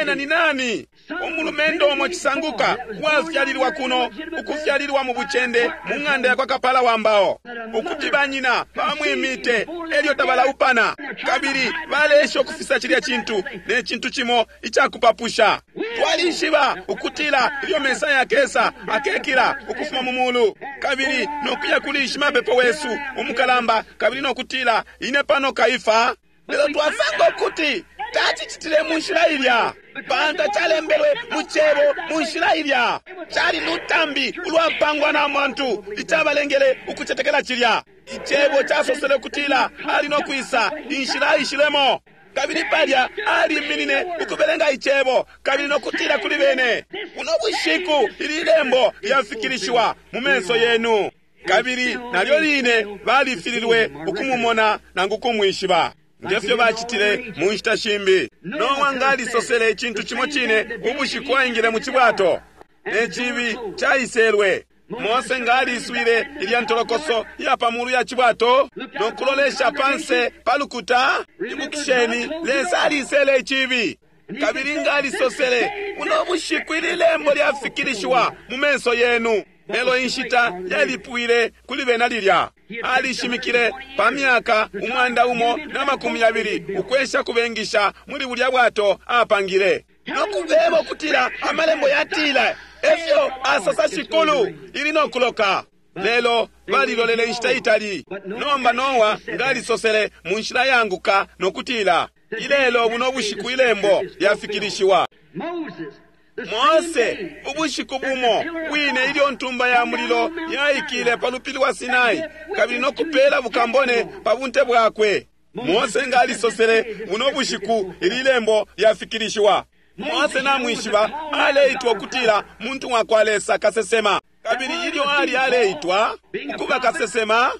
Ena ni nani? Umulumendo omo chisanguka wafyalilwa kuno ukufyalilwa mu buchende mu ng'anda ya kwa kapala wa mbao, ukuti banyina bamwimite elyo tabalaupana, kabili balesha ukufisa chilya chintu ne chintu chimo ichakupapusha. Twalishiba ukutila ilyo Mesaya akesa akekila ukufuma mu mulu, kabili nokuya kuli shimapepo wesu umukalamba, kabili nokutila ine pano Kaifa. Lelo twasanga ukuti tachichitile mu nshila ilya, pantu chalembelwe mu chebo mu nshila ilya. Chali lutambi ulwapangwa na muntu ichabalengele ukuchetekela chilya. Ichebo chasosele kutila ali nokwisa inshila ishilemo, kabili palya aliminine ukubelenga ichebo kabili nokutila kuli bene, uno bushiku ili lembo lyafikilishiwa mu menso yenu. Kabili nalyo line balifililwe ukumumona nangu kumwishiba, ngefyo bachitile mu nshita shimbi. Nowa ngalisosele ichintu chimo chine ubushiku aingile mu chibwato, ne chibi chaiselwe. Mose ngaliswile ilya ntolokoso ya pamulu ya chibwato nokulolesha panse palukuta. Ibukisheni, Lesa alisele ichibi, kabili ngalisosele uno bushiku ili lembo lyafikilishiwa mu menso yenu. Lelo inshita yalipwile kuli bena lilya. Alishimikile pa myaka umwanda umo na makumi yabili ukwesha kubengisha muli bulya bwato apangile, nokubeba ukutila amalembo yatila efyo asosa shikulu ili nokuloka. Lelo balilolele inshita itali. Nomba Nowa ngalisosele mu nshila yanguka nokutila ilelo buno bushiku ilembo lyafikilishiwa. Mose ubushiku bumo bwine ilyo ntumba ya mulilo yaikile pa lupili wa Sinai, kabili nokupela bukambone pa bunte bwakwe. Mose ngalisosele buno bushiku ili lembo lyafikilishiwa. Mose namwishiba aleitwa ukutila muntu wa kwa Lesa kasesema, kabili ilyo ali aleitwa ukuba kasesema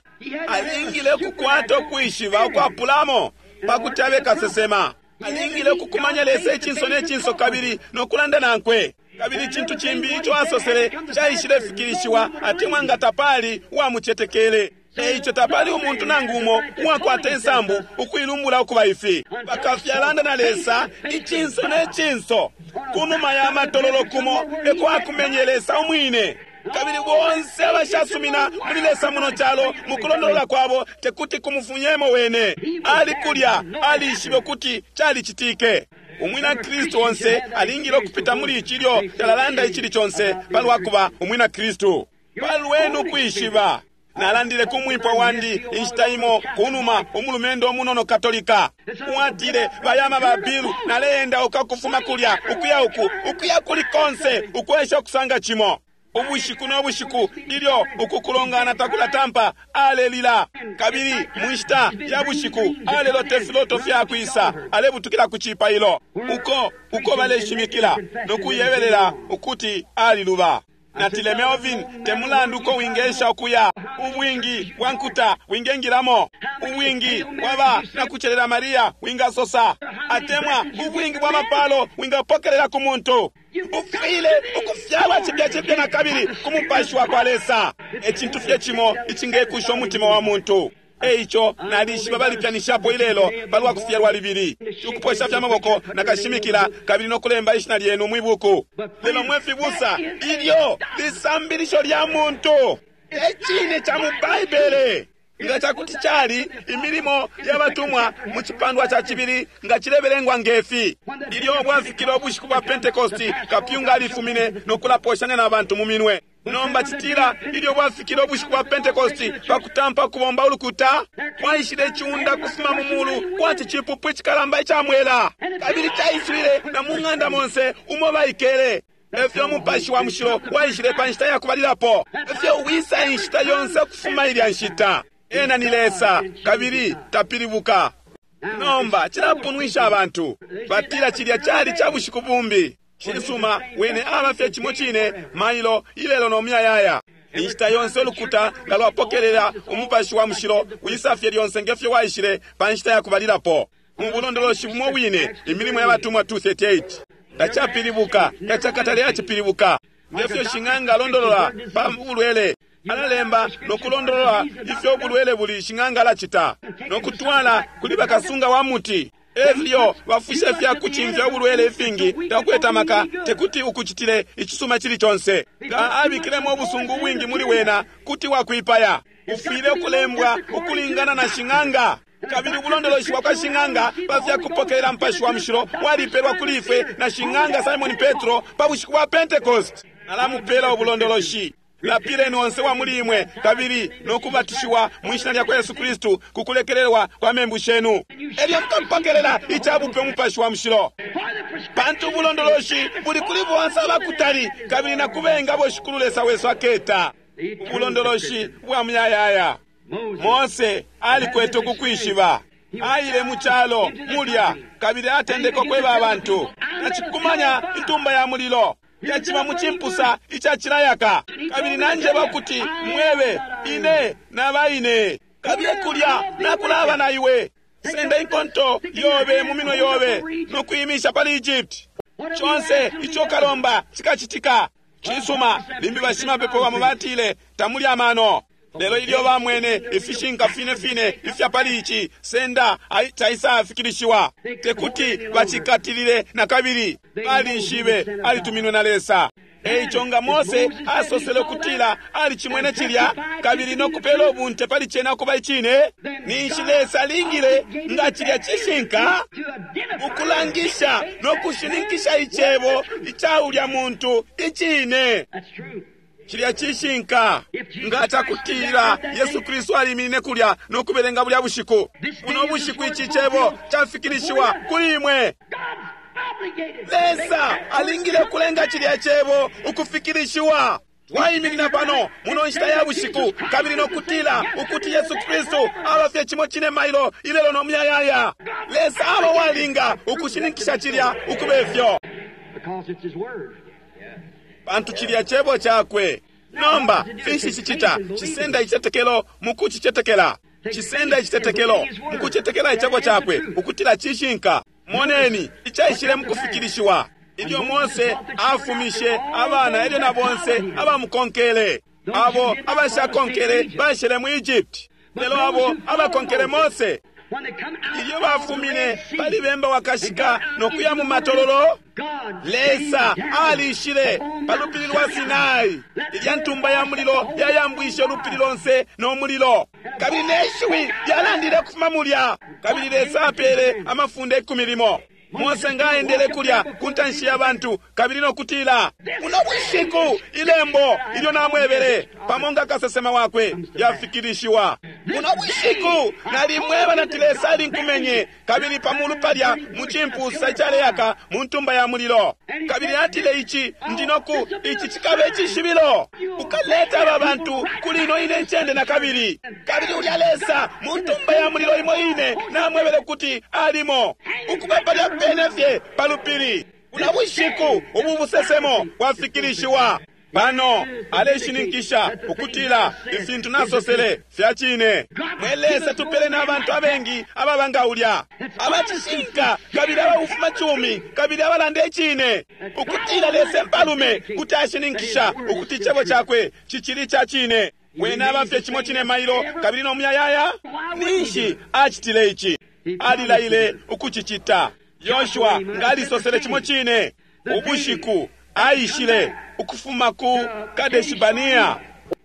alingile kukwata ukwishiba ukwapulamo pakuti abe kasesema. Alingile ukukumanya Lesa ichinso ne chinso kabili nokulanda nankwe. Kabili chintu chimbi icho asosele chaishile fikilishiwa, atemwa nga tapali uwamuchetekele. Eicho tapali umuntu nangu umo uwakwata insambu ukuilumbula ukuba ifi. Bakafyalanda na Lesa ichinso ne chinso kunuma ya matololo kumo eko akumenye Lesa umwine. Kabili bonse abashasumina muli Lesa muno chalo mukulondolola kwabo tekuti kumufunyemo wene. Ali kulya alishibe kuti chalichitike. Umwina Kristu onse alingile okupita muli ichilyo talalanda ichili chonse palwakuba umwina Kristu. Palwenu kwishiba. Nalandile kumwipwa wandi inshita imo kunuma umulumendo omunono Katolika uwatile bayama babilu naleenda ukakufuma kulya ukuya uku ukuya kuli konse ukwesha okusanga chimo. Ubushiku no bushiku ilyo ukukulongana takulatampa alelila, kabili munshita ya bushiku alelota ifiloto fyakwisa, alebutukila ku cipailo uko uko baleshimikila no kuyebelela ukuti aliluba. Natile, Melvin, te mulandu uko wingesha ukuya, ubwingi bwa nkuta wingengilamo, ubwingi bwaba na kucelela Maria wingasosa, atemwa ubwingi bwa mapalo wingapokelela ku muntu, ufwile ukufyalwa cipya cipya na kabili ku mupashi wa kwa Lesa. Ecintu fye cimo icingekusha umutima wa muntu. Eico nalishiba balipyanishapo ilelo palwa kufyalwa libili, ukuposha fya maboko na kashimikila kabili no kulemba ishina lyenu mwibuku. Lelo mwe fibusa, ilyo lisambilisho lya muntu ecine ca mu Baibele. Nga cakuti cali imilimo y'abatumwa mu cipandwa ca cibili nga cilebelengwa ngefi. Ilyo bwafikile ubushiku bwa Pentecosti, kapyunga alifumine no kulaposhanya na bantu mu minwe. Nomba citila ilyo bwafikile ubushiku bwa Pentecosti pakutampa kubomba ulukuta, kwaishile iciunda kufuma mu mulu kwati cipupu icikalamba icamwela, kabili caiswile na mu ng'anda monse umo baikele. Efyo umupashi wa mushilo waishile pa nshita ya kubalilapo, efyo wisa inshita yonse ukufuma ilya nshita. Ena ni Lesa kabili tapilibuka. Nomba cilapunwisha abantu, batila cilya cali ca bushiku bumbi. Cisuma, wene aba fye cimo cine mailo ilelo no muyayaya. Inshita yonse ulukuta nga lwapokelela umupashi wa mushilo wisa fye lyonse ngefyo waishile pa nshita ya kubalilapo. Mu bulondoloshi bumo bwine, Imilimo y'Abatumwa two thirty-eight. Tacapilibuka, tacakatale yacipilibuka. Ngefyo shing'anga alondolola pa bulwele, alalemba no kulondolola ifyo ubulwele buli shing'anga alacita, no kutwala kuli bakasunga wa muti. Efyo bafushe fya kucimfya ubulwele ifingi takweta maka tekuti ukucitile icisuma cili conse. Nga abikilemo ubusungu bwingi muli wena kuti wakwipaya. Ufwile ukulembwa ukulingana na shing'anga. Kabili ubulondoloshi bwa kwa shing'anga pa fya kupokelela mupashi wa mushilo walipelwa kuli ifwe na shing'anga Simon Petro pa bushiku bwa Pentecost. Alamupela ubulondoloshi. Lapileni onse wa muli imwe kabili no kubatishiwa mu ishina lya kwa Yesu Kristu ku kulekelelwa kwa membu shenu, elyo mukapokelela icabupe umupashi wa mushilo. Pantu ubulondoloshi buli kuli bonse abakutali kabili na kubenga bo Shikulu Lesa wesu aketa. Ubulondoloshi bwa muyayaya. Mose alikwete ukukwishiba. Aile mu calo mulya kabili atendeka ukweba abantu. Nacikumanya intumba ya mulilo yaciba mu cimpusa icacilayaka, kabili nanjeba kuti mwebe ine nabaine, kabili kulya nakulaba na iwe. Senda inkonto yobe mu minwe yobe no kuimisha pali Egypt. Conse ico kalomba cikacitika. Cisuma, limbi bashimapepo bamo batile tamuli amano. Lelo ilyo bamwene ifishinka fine fine ifya pali ici senda caisafikilishiwa, tekuti bacikatilile na kabili. Balishibe alituminwe na Lesa. Eico nga Mose asosele ukutila alicimwene cilya kabili no kupela ubunte pali cena ukuba icine, ninshi Lesa alingile nga cilya cishinka ukulangisha no kushininkisha icebo ica ulya muntu icine. Cilya cishinka. Nga cakutila Yesu Kristu aliminine kulya no kubelenga bulya bushiku, buno bushiku ici cebo cafikilishiwa kuli imwe. Lesa alingile kulenga cilya cebo ukufikilishiwa. Twaiminina pano muno nshita ya bushiku kabili no kutila ukuti Yesu Kristu aba fye cimo cine mailo ilelo no muyayaya. Lesa aba walinga ukushininkisha cilya ukube fyo, pantu cilya cebo cakwe. Nomba finshi cicita? Cisenda icitetekelo mu kucicetekela. Cisenda icitetekelo mu kucetekela icebo cakwe ukutila cishinka. Moneni icaishile mu kufikilishiwa ilyo Mose afumishe abana elyo na bonse abamukonkele. Abo abashakonkele bashele mu Egypt, lelo abo abakonkele Mose ilyo bafumine pali bemba wakashika no kuya mu matololo, Lesa alishile pa lupili lwa Sinai. Ilya ntumba ya mulilo yayambwishe ulupili lonse no mulilo, kabili neshiwi lyalandile kufuma mulya. Kabili Lesa apele amafunde ikumi limo. Mose nga aendele kulya ku ntanshi ya bantu kabili no kutila, buno bushiku ilembo ilyo namwebele pamo nga kasesema wakwe yafikilishiwa. Buno bushiku nalimweba nati Lesa alinkumenye kabili pamulu palya mu cimpusa icaleyaka mu ntumba ya mulilo. Kabili atile ici ndinoku ici cikaba icishibilo. Ukaleta aba bantu kuli ino ine ncende na kabili. Kabili ulya Lesa mu ntumba ya mulilo imo ine namwebele kuti alimo ukuba palya pene fye pa lupili. Buno bushiku ubu busesemo bwafikilishiwa. Pano aleshininkisha ukutila ifintu nasosele fya cine. Mwe Lesa tupele n'abantu abengi ababa nga ulya abacishinka kabili abaufuma cumi kabili abalanda icine, ukutila Lesa empalume kuti ashininkisha ukuti icebo cakwe cicili ca cine. Wene aba fye cimo cine mailo kabili no muyayaya. Ninshi acitile ici? Alilaile ukucicita. Yoshua nga alisosele cimo cine. Ubushiku aishile ukufuma ku Kadeshibania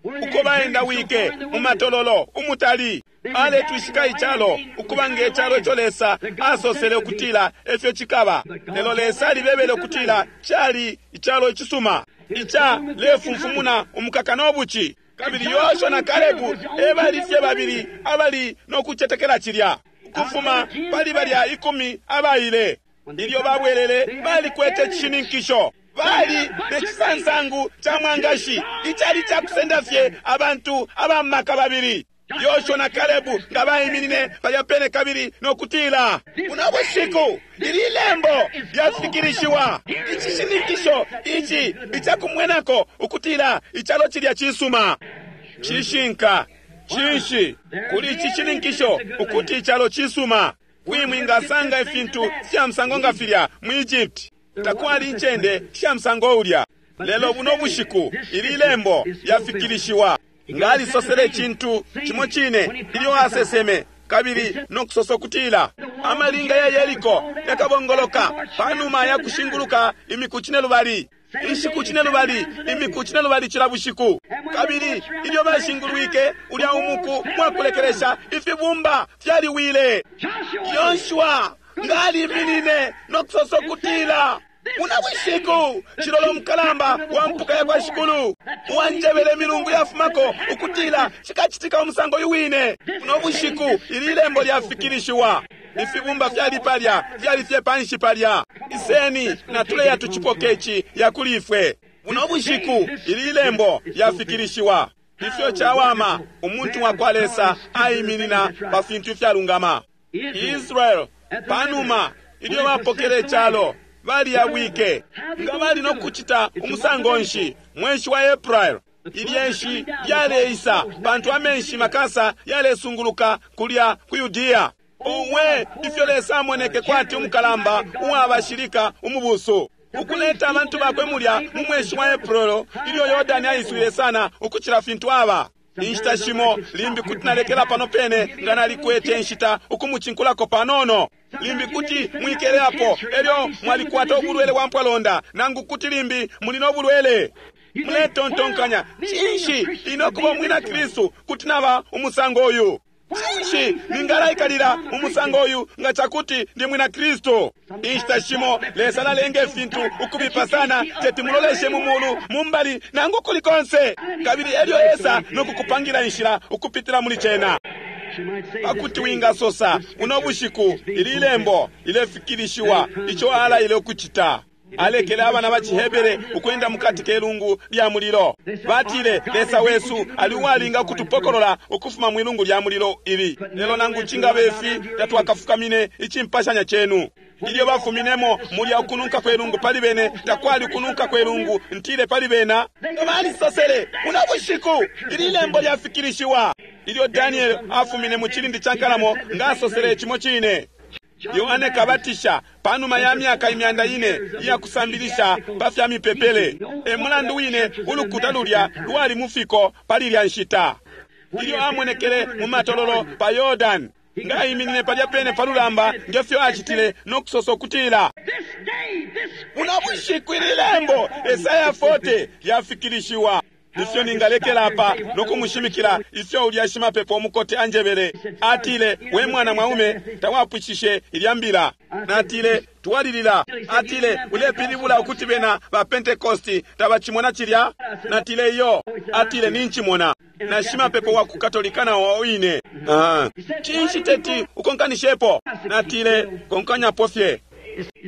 uko baendawike mu matololo umutali, aletwishika icalo ukuba nge calo ico Lesa asosele ukutila efyo cikaba. Lelo Lesa alibebele ukutila cali icalo icisuma ica lefumfumuna umukaka no buci. Kabili Yoshua na Kalebu ebali fye babili abali no kucetekela cilya. Ukufuma pali balya ikumi abaile, ilyo babwelele balikwete icishininkisho. Bali ne cisansangu ca mwangashi icali cakusenda fye abantu abamaka babili. Yoshua na Kalebu nga baiminine palya pene kabili no kutila, buno bushiku ili lembo lyafikilishiwa. Icishininkisho ici icakumwenako ukutila icalo cilya cisuma. Cishinka cinshi kuli ici cishininkisho ukuti icalo cisuma? Kwimwingasanga ifintu fya musango nga filya mu Egypt. Takwali incende sha musango ulya. Lelo buno bushiku ili lembo lyafikilishiwa. Nga alisosele icintu cimo cine ilyo aseseme kabili no kusosa ukutila amalinga ya Yeriko yakabongoloka panuma ya kushinguluka imiku cine lubali, inshiku cine lubali, imiku cine lubali cila bushiku. Kabili ilyo bashingulwike ulya umuku mwakulekelesha, ifibumba fyaliwile. Yoshua nga aliminine no kusosa ukutila, buno bushiku cilolo mukalamba wa mpuka ya kwa Shikulu uwanjebele milungu yafumako ukutila cikacitika umusango uyu wine. Buno bushiku ili lembo lyafikilishiwa. Ifibumba fyali palya, fyali fye panshi palya. Iseni na tuleya tucipoke ici yakuli ifwe. Buno bushiku ili lembo lyafikilishiwa. Ifyo cawama umuntu wa kwa Lesa aiminina pa fintu ifyalungama. Israel panuma ilyo bapokele icalo baliyabwike. Nga bali no kucita umusango nshi mwenshi wa April, ilyenshi lyaleisa pantu amenshi makasa yalesunguluka kulya ku Yudea. Uwe ifyo Lesa amoneke kwati umukalamba uwabashilika umubusu ukuleta abantu bakwe mulya mu mweshi wa April ilyo Yordani aiswile sana ukucila fintu aba. Inshita shimo limbi kuti nalekela pano pene nga nalikwete inshita ukumucinkulako panono. Limbi kuti mwikeleapo elyo mwalikwata ubulwele bwa mpwalonda, nangu kuti limbi muli no bulwele. Muletontonkanya, cinshi inokuba umwina Kristu kuti naba umusango uyu? Cinshi ningalaikalila umusango uyu nga cakuti ndi mwina Kristu? Inshita shimo Lesa alalenga ifintu ukubipa sana teti muloleshe mu mulu mumbali nangu kuli konse, kabili elyo esa nokukupangira inshila ukupitila muli cena. Pakuti wingasosa uno bushiku ili lembo lilefikilishiwa ico alaile ukucita. Alekele abana ba ciHebere ukwenda mukati kelungu lya mulilo. Batile Lesa wesu ali uwalinga kutupokolola ukufuma mwilungu lya mulilo ili. Lelo nangu cingabe ifi tatwakafukamine icimpashanya cenu. Ilyo bafuminemo mulya ukununka kwelungu pali bene, takwali ukununka kwelungu ntile pali bena. Balisosele uno bushiku ili lembo lyafikilishiwa. Ilyo Daniel afumine mu cilindi ca nkalamo nga asosele cimo cine. Yohane Kabatisha panuma ya myaka imyanda ine iya kusambilisha pa fya mipepele, e mulandu wine ulukuta lulya lwali mufiko pali lya nshita. Ilyo amonekele mu matololo pa Yordan, nga aiminine palya pene pa lulamba ngefyo acitile no kusosa ukutila, buno bushiku ili lembo Esaya forty lyafikilishiwa. Ifyo ningalekela apa no kumushimikila ifyo ulya shimapepo umukote anjebele. Atile, we mwana mwaume, tawapwishishe ilya mbila. Natile, twalilila. Atile, ulepilibula ukuti bena ba Pentecosti tabachimona chilya? Natile, iyo. Atile, ninchimona. Na shimapepo wa ku Katolika na wine. Ah. Chinshi teti ukonkanishepo? Natile, konkanyapo fye.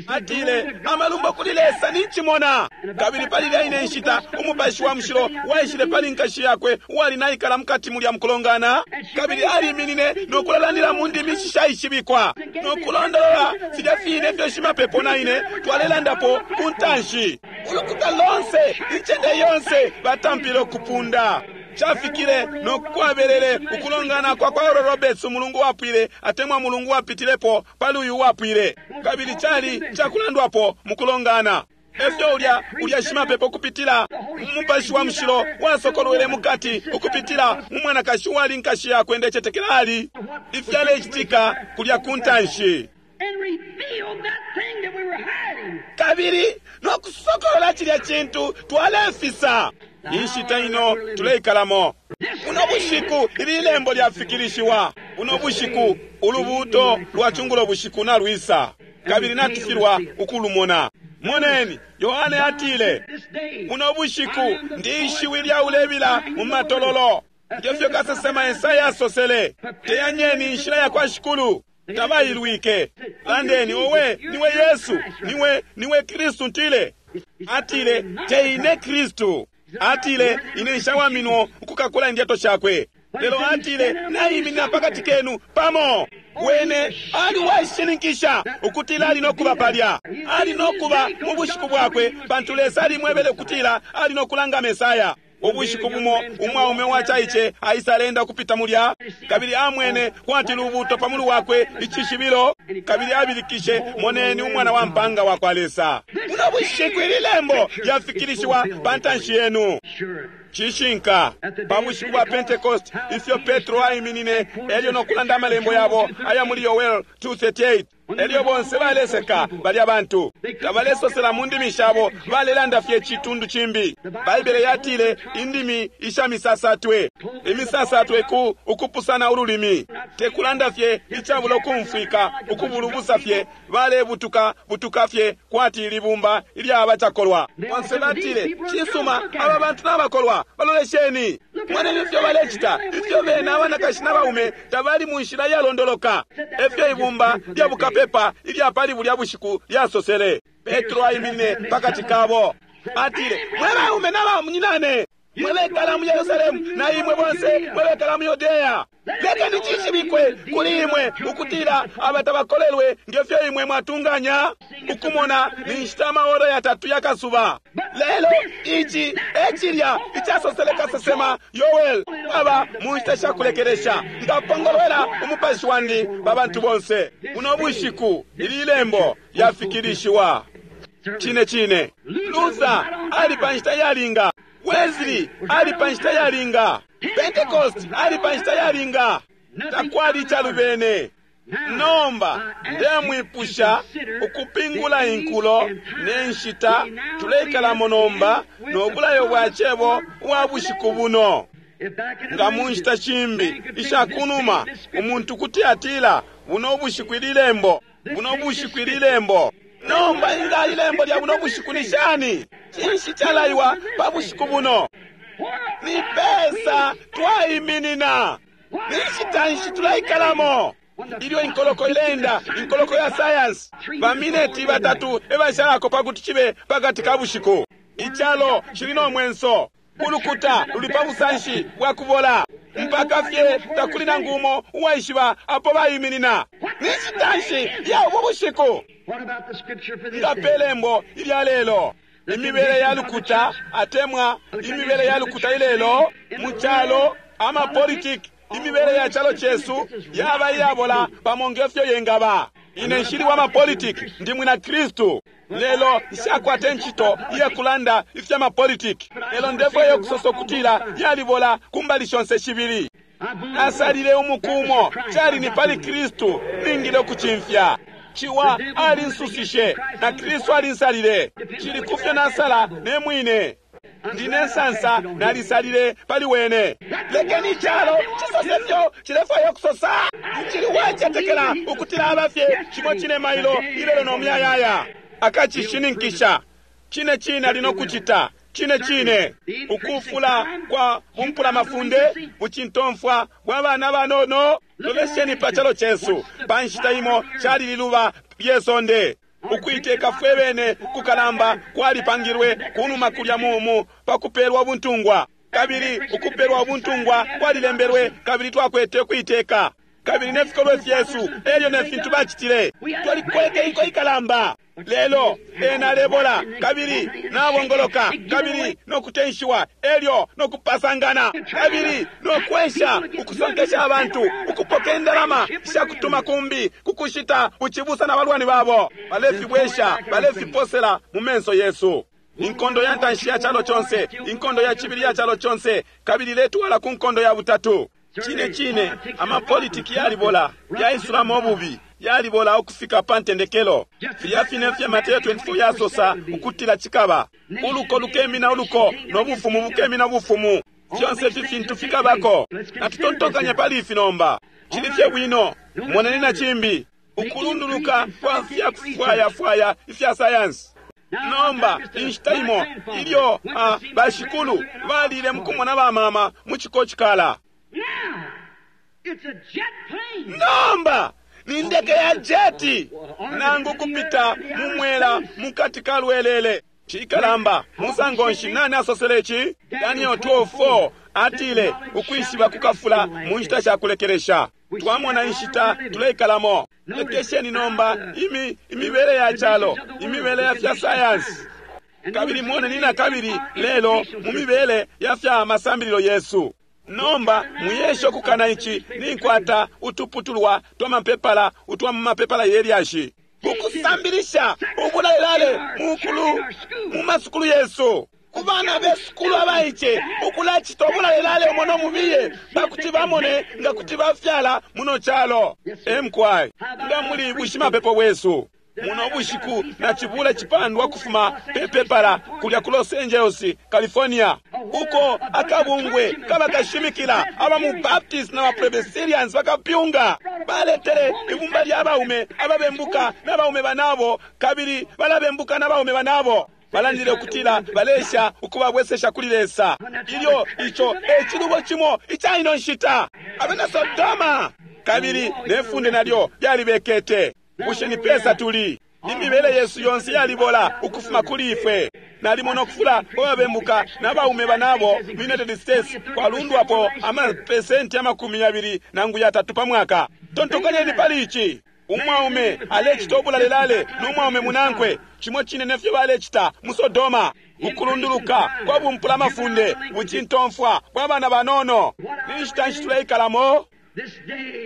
Atile, amalumbo kuli Lesa ninchimona. Kabili pali lya ine nshita umupashi wa mushilo waishile pali nkashi yakwe uwali naikala mukati mulya mukulongana, kabili aliminine no kulalandila mu ndimi shishaishibikwa no kulondolola filya fine ifyo shimapepo na ine twalelandapo ku ntanshi. Ulukuta lonse, incende yonse batampile ukupunda. Chafikile no kwabelele ukulongana kwa kwa Oral Roberts umulungu wapwile atemwa mulungu wapitilepo pali uyu wapwile, kabili chali chakulandwapo mukulongana. Efyo ulya ulya shimapepo kupitila umupashi wa mushilo wasokolwele mukati ukupitila mu mwanakashi wali nkashi yakwe ndecetekela ali ifyalecitika kulya ku ntanshi, kabili no kusokolola chilya chintu twalefisa. Inshita ino tuleikalamo uno bushiku ili lembo lyafikilishiwa. Uno bushiku ulubuto lwa chungulo bushiku nalwisa, kabili natufilwa ukulumona. Moneni, Yohane atile, uno bushiku ndi ishiwi lya ulebila mu matololo, ngefyo kasesema Esaya asosele, teyanyeni inshila ya kwa Shikulu. Tabailwike. Landeni, owe niwe Yesu, niwe niwe Kristu ntile. Atile, teine Kristu. Atile, ine nshawaminwo ukukakula indyato shakwe. Lelo atile, naiminina pakati kenu pamo. Wene ali washininkisha ukutila ali nokuba palya, ali nokuba mu bushiku bwakwe, pantu Lesa alimwebele ukutila ali nokulanga Mesaya. Ubushiku bumo umwaume wachaiche aisalenda kupita mulya, kabili amwene kwati lubuto pamulu wakwe ichishibilo, kabili abilikishe, moneni umwana wa mpanga wa kwa Lesa. Uno bushiku ili lembo lyafikilishiwa pa ntanshi yenu. Chishinka pa bushiku bwa Pentecost ifyo Petro aiminine elyo nokulanda amalembo yabo aya muli Yoel two thirty-eight. Elyo bonse baleseka balya bantu tabalesosela mu ndimi shabo, balelanda fye chitundu chimbi. Baibele yatile indimi isha misasatwe, imisasatwe ku ukupusana ululimi, tekulanda fye icabula ukumfwika, ukubulubusa fye, balebutuka butuka fye kwati libumba ilyaba chakolwa. Bonse batile, chisuma aba bantu n'abakolwa, balolesheni mwaneni ifyo balechita, ifyo bena abanakashi n'abaume tabali mu nshila yalondoloka. Efyo ibumba lya bukapepa ilya pali bulya bushiku lyasosele. Petro aiminine pakati kabo, atile, mwe baume n'abamunyinane, mwe bekala mu Yerusalemu na imwe bonse mwe bekala mu Yudeya, lekeni chishibikwe kuli imwe ukutila abatabakolelwe ngefyo imwe mwatunganya ukumona ni nshita amahoro yatatu yakasuba. Lelo ichi echilya ichasosele kasesema Yoel aba mu nshita shakulekelesha, nkapongolwela umupashi wandi pa bantu bonse. Uno bushiku ili lembo lyafikilishiwa. Chine chine Luther ali pa nshita yalinga, Wesley ali pa nshita yalinga, Pentecost ali pa nshita yalinga, takwali chalubene. Nomba ndemwipusha ukupingula inkulo ne nshita tuleikalamo nomba nobulayo bwa chebo wa bushiku buno. Nga mu nshita shimbi ishakunuma umuntu kuti atila buno bushiku ili lembo, buno bushiku ili lembo. Nomba inga ilembo lya buno bushiku ni shani? Chinshi chalaiwa pa bushiku buno? Ni pesa twaiminina, ni nshita nshi tulaikalamo? Ilyo inkoloko ilenda, inkoloko ya science, bamineti batatu ebashalako pakuti chibe pakati ka bushiku. Ichalo chili nomwenso, ulukuta luli pa busanshi bwa kubola, mpaka fye takuli nangu umo uwaishiba apo bayiminina. Ni nshita nshi ya ubu bushiku? Ngapelembo ilya lelo imibele ya lukuta atemwa imibele ya lukuta ilelo mu chalo ama politiki, imibele ya chalo chesu yaba iyabola pamo ngefyo yengaba. Ine nshili wa mapolitiki, ndi mwina Kristu. Lelo nshakwate nchito iyakulanda ifya mapolitiki, lelo ndefo yokusosa ukutila yalibola kumbali shonse shibili. Asalile umukumo chali ni pali Kristu ningile ukuchimfya. Chiwa alinsusishe na Kristu alinsalile, chili kufyo nasala ne mwine. Ndine nsansa nalisalile pali wene. Lekeni icalo cisose fyo cilefwaya ukusosa. Ncili wacetekela ukutila abafye cimo cine mailo ilelo no muyayaya. Akacishininkisha. Cine cine ali no kucita. Cine cine ukufula kwa bumpula mafunde bucintomfwa bwa bana banono. Lolesheni pa calo cesu pa nshita imo cali liluba lye sonde. Ukuiteka fwe bene kukalamba kwalipangilwe kunuma kulya mumu pakupelwa ubuntungwa, kabili ukupelwa ubuntungwa kwalilembelwe, kabili twakwete ukuiteka, kabili nefikolwe fyesu elyo ne fintu bacitile. Twalikwete inko ikalamba, lelo ena alebola kabili nabongoloka kabili nokutenshiwa elyo nokupasangana kabili nokwesha ukusonkesha abantu ukupoka indalama shakutuma kumbi kukushita uchibusa na balwani babo. Balefibwesha, balefiposela mu menso yesu. Inkondo ya ntanshi ya chalo chonse, inkondo ya chibili ya chalo chonse, kabili letwala ku nkondo ya butatu. Chine chine amapolitiki yalibola, yaisulamo obubi, yalibola ukufika pa ntendekelo. Filya fine fya Mateo twenty-four yasosa ukutila chikaba uluko lukemina uluko no bufumu bukemina bufumu. Fyonse ifi fintu fikabako. Natutontokanya pali ifi nomba. Chili fye bwino moneni na chimbi ukulunduluka kwa fya kufwayafwaya ifya sayansi. Nomba inshita imo ilyo ah, bashikulu balile mukumona bamama mu chikochikala. Nomba ni ndeke ya jeti nangu kupita mumwela mukati kalwelele. Chikalamba musango nshi nani asosele ichi? Daniel twelve four atile ukwishiba kukafula mu nshita sha kulekelesha. Twamona inshita tuleikalamo. Lekesheni nomba imi imibele ya chalo, imibele ya fya science, kabili mwone nina kabili lelo mu mibele ya fya masambililo yesu. Nomba muyesho kukana ichi ninkwata utuputulwa twa mapepala utwa mu mapepala yelyashi kukusambilisha ubulalelale mukulu mu masukulu yesu kubana besukulu abaiche ukulachita ubulalelale umono mubiye bakuti bamone nga kuti bafyala muno chalo. Emkwai nga muli bushimapepo bwesu muno bushiku na chibula chipandwa kufuma pepepala kulya ku Los Angeles, California, uko akabungwe kabakashimikila aba mu Baptist na Presbyterians bakapyunga baletele ibumba lya baume ababembuka n'abaume banabo kabili balabembuka n'abaume banabo. Balandile ukutila balesha ukubabwesesha kuli Lesa. Ilyo icho echilubo chimo ichaino nshita abena Sodoma kabili nefunde nalyo lyalibekete. Bushe ni pesa tuli imibele yesu yonse yalibola ukufuma kuli ifwe. Nalimona okufula kwababembuka n'abaume banabo mu United States kwalundwapo amapesenti amakumi yabili nangu yatatu pa mwaka. Tontokanyeni pali ichi. Umwaume alechita obulalelale n'umwaume munankwe chimo chine nefyo balechita mu Sodoma. Ukulunduluka kwa bumpula mafunde bucintomfwa bwa bana banono. Ni nshita nshi tuleikalamo?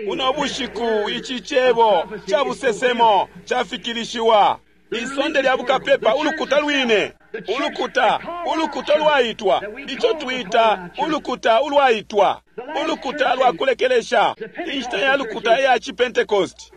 Uno bushiku ichi chebo cha busesemo chafikilishiwa. Isonde lya bukapepa ulukuta lwine ulukuta ulukuta lwaitwa icho twita ulukuta ulwaitwa ulukuta lwakulekelesha inshita ya lukuta ya chipentecost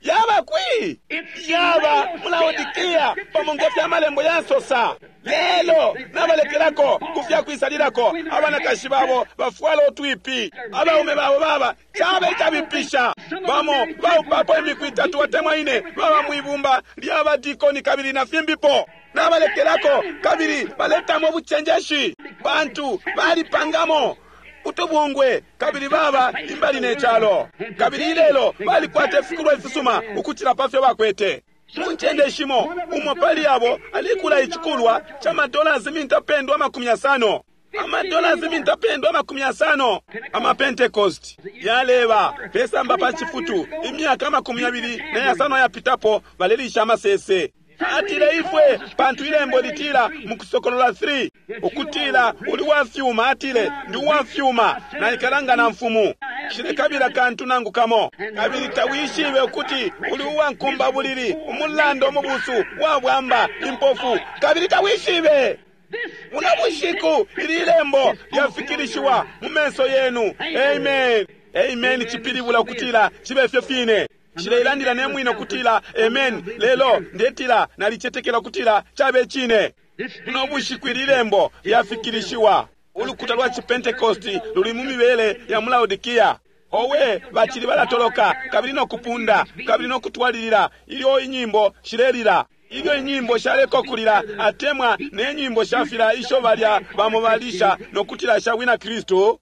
yaba kwi yaba mulaodikia pamonga fya malembo yasosa. Lelo nabalekelako kufya kwisalilako abanakashi babo bafwala otwipi abaume babo baba chabe chabipisha bamo baupapo imiku itatu watemwa ine baba mwibumba lyabadikoni kabili na fimbipo nabalekelako kabili baletamo buchenjeshi bantu balipangamo utubungwe kabili baba imbali ne chalo kabili ilelo balikwata ifikulwa ifisuma ukuchila pafyo bakwete. Munchende shimo umo pali abo alikula ichikulwa cha madollars mintapendwa makumi asano amadollars mintapendwa makumi asano ama Pentecost yaleba pesamba pa chifutu imyaka makumi abili na yasano yapitapo balelisha amasese. Atile ifwe pantu ilembo litila mukusokolola three ukutila uli wafyuma atile ndi wafyuma na ikalanga na mfumu shilekabila kantu nangu kamo kabili tawishibe ukuti uli uwankumba bulili umulando mubusu wabwamba impofu kabili tawishibe. Muno bushiku ili ilembo lyafikilishiwa mu menso yenu. Amen. Amen chipilibula ukutila chibe fyo fine. Shileilandila nemwino kutila amen lelo ndetila nalichetekela kutila chabe chine. Buno bushiku ili lembo lyafikilishiwa. Ulukuta lwa Chipentecosti luli mu mibele ya mu Laodikia. Owe, bacili balatoloka kabili nokupunda kabili nokutwalilila ilyo inyimbo shilelila, ilyo inyimbo shaleko kulila atemwa ne nyimbo shafila isho balya bamo balisha nokutila sha bwina Kristu.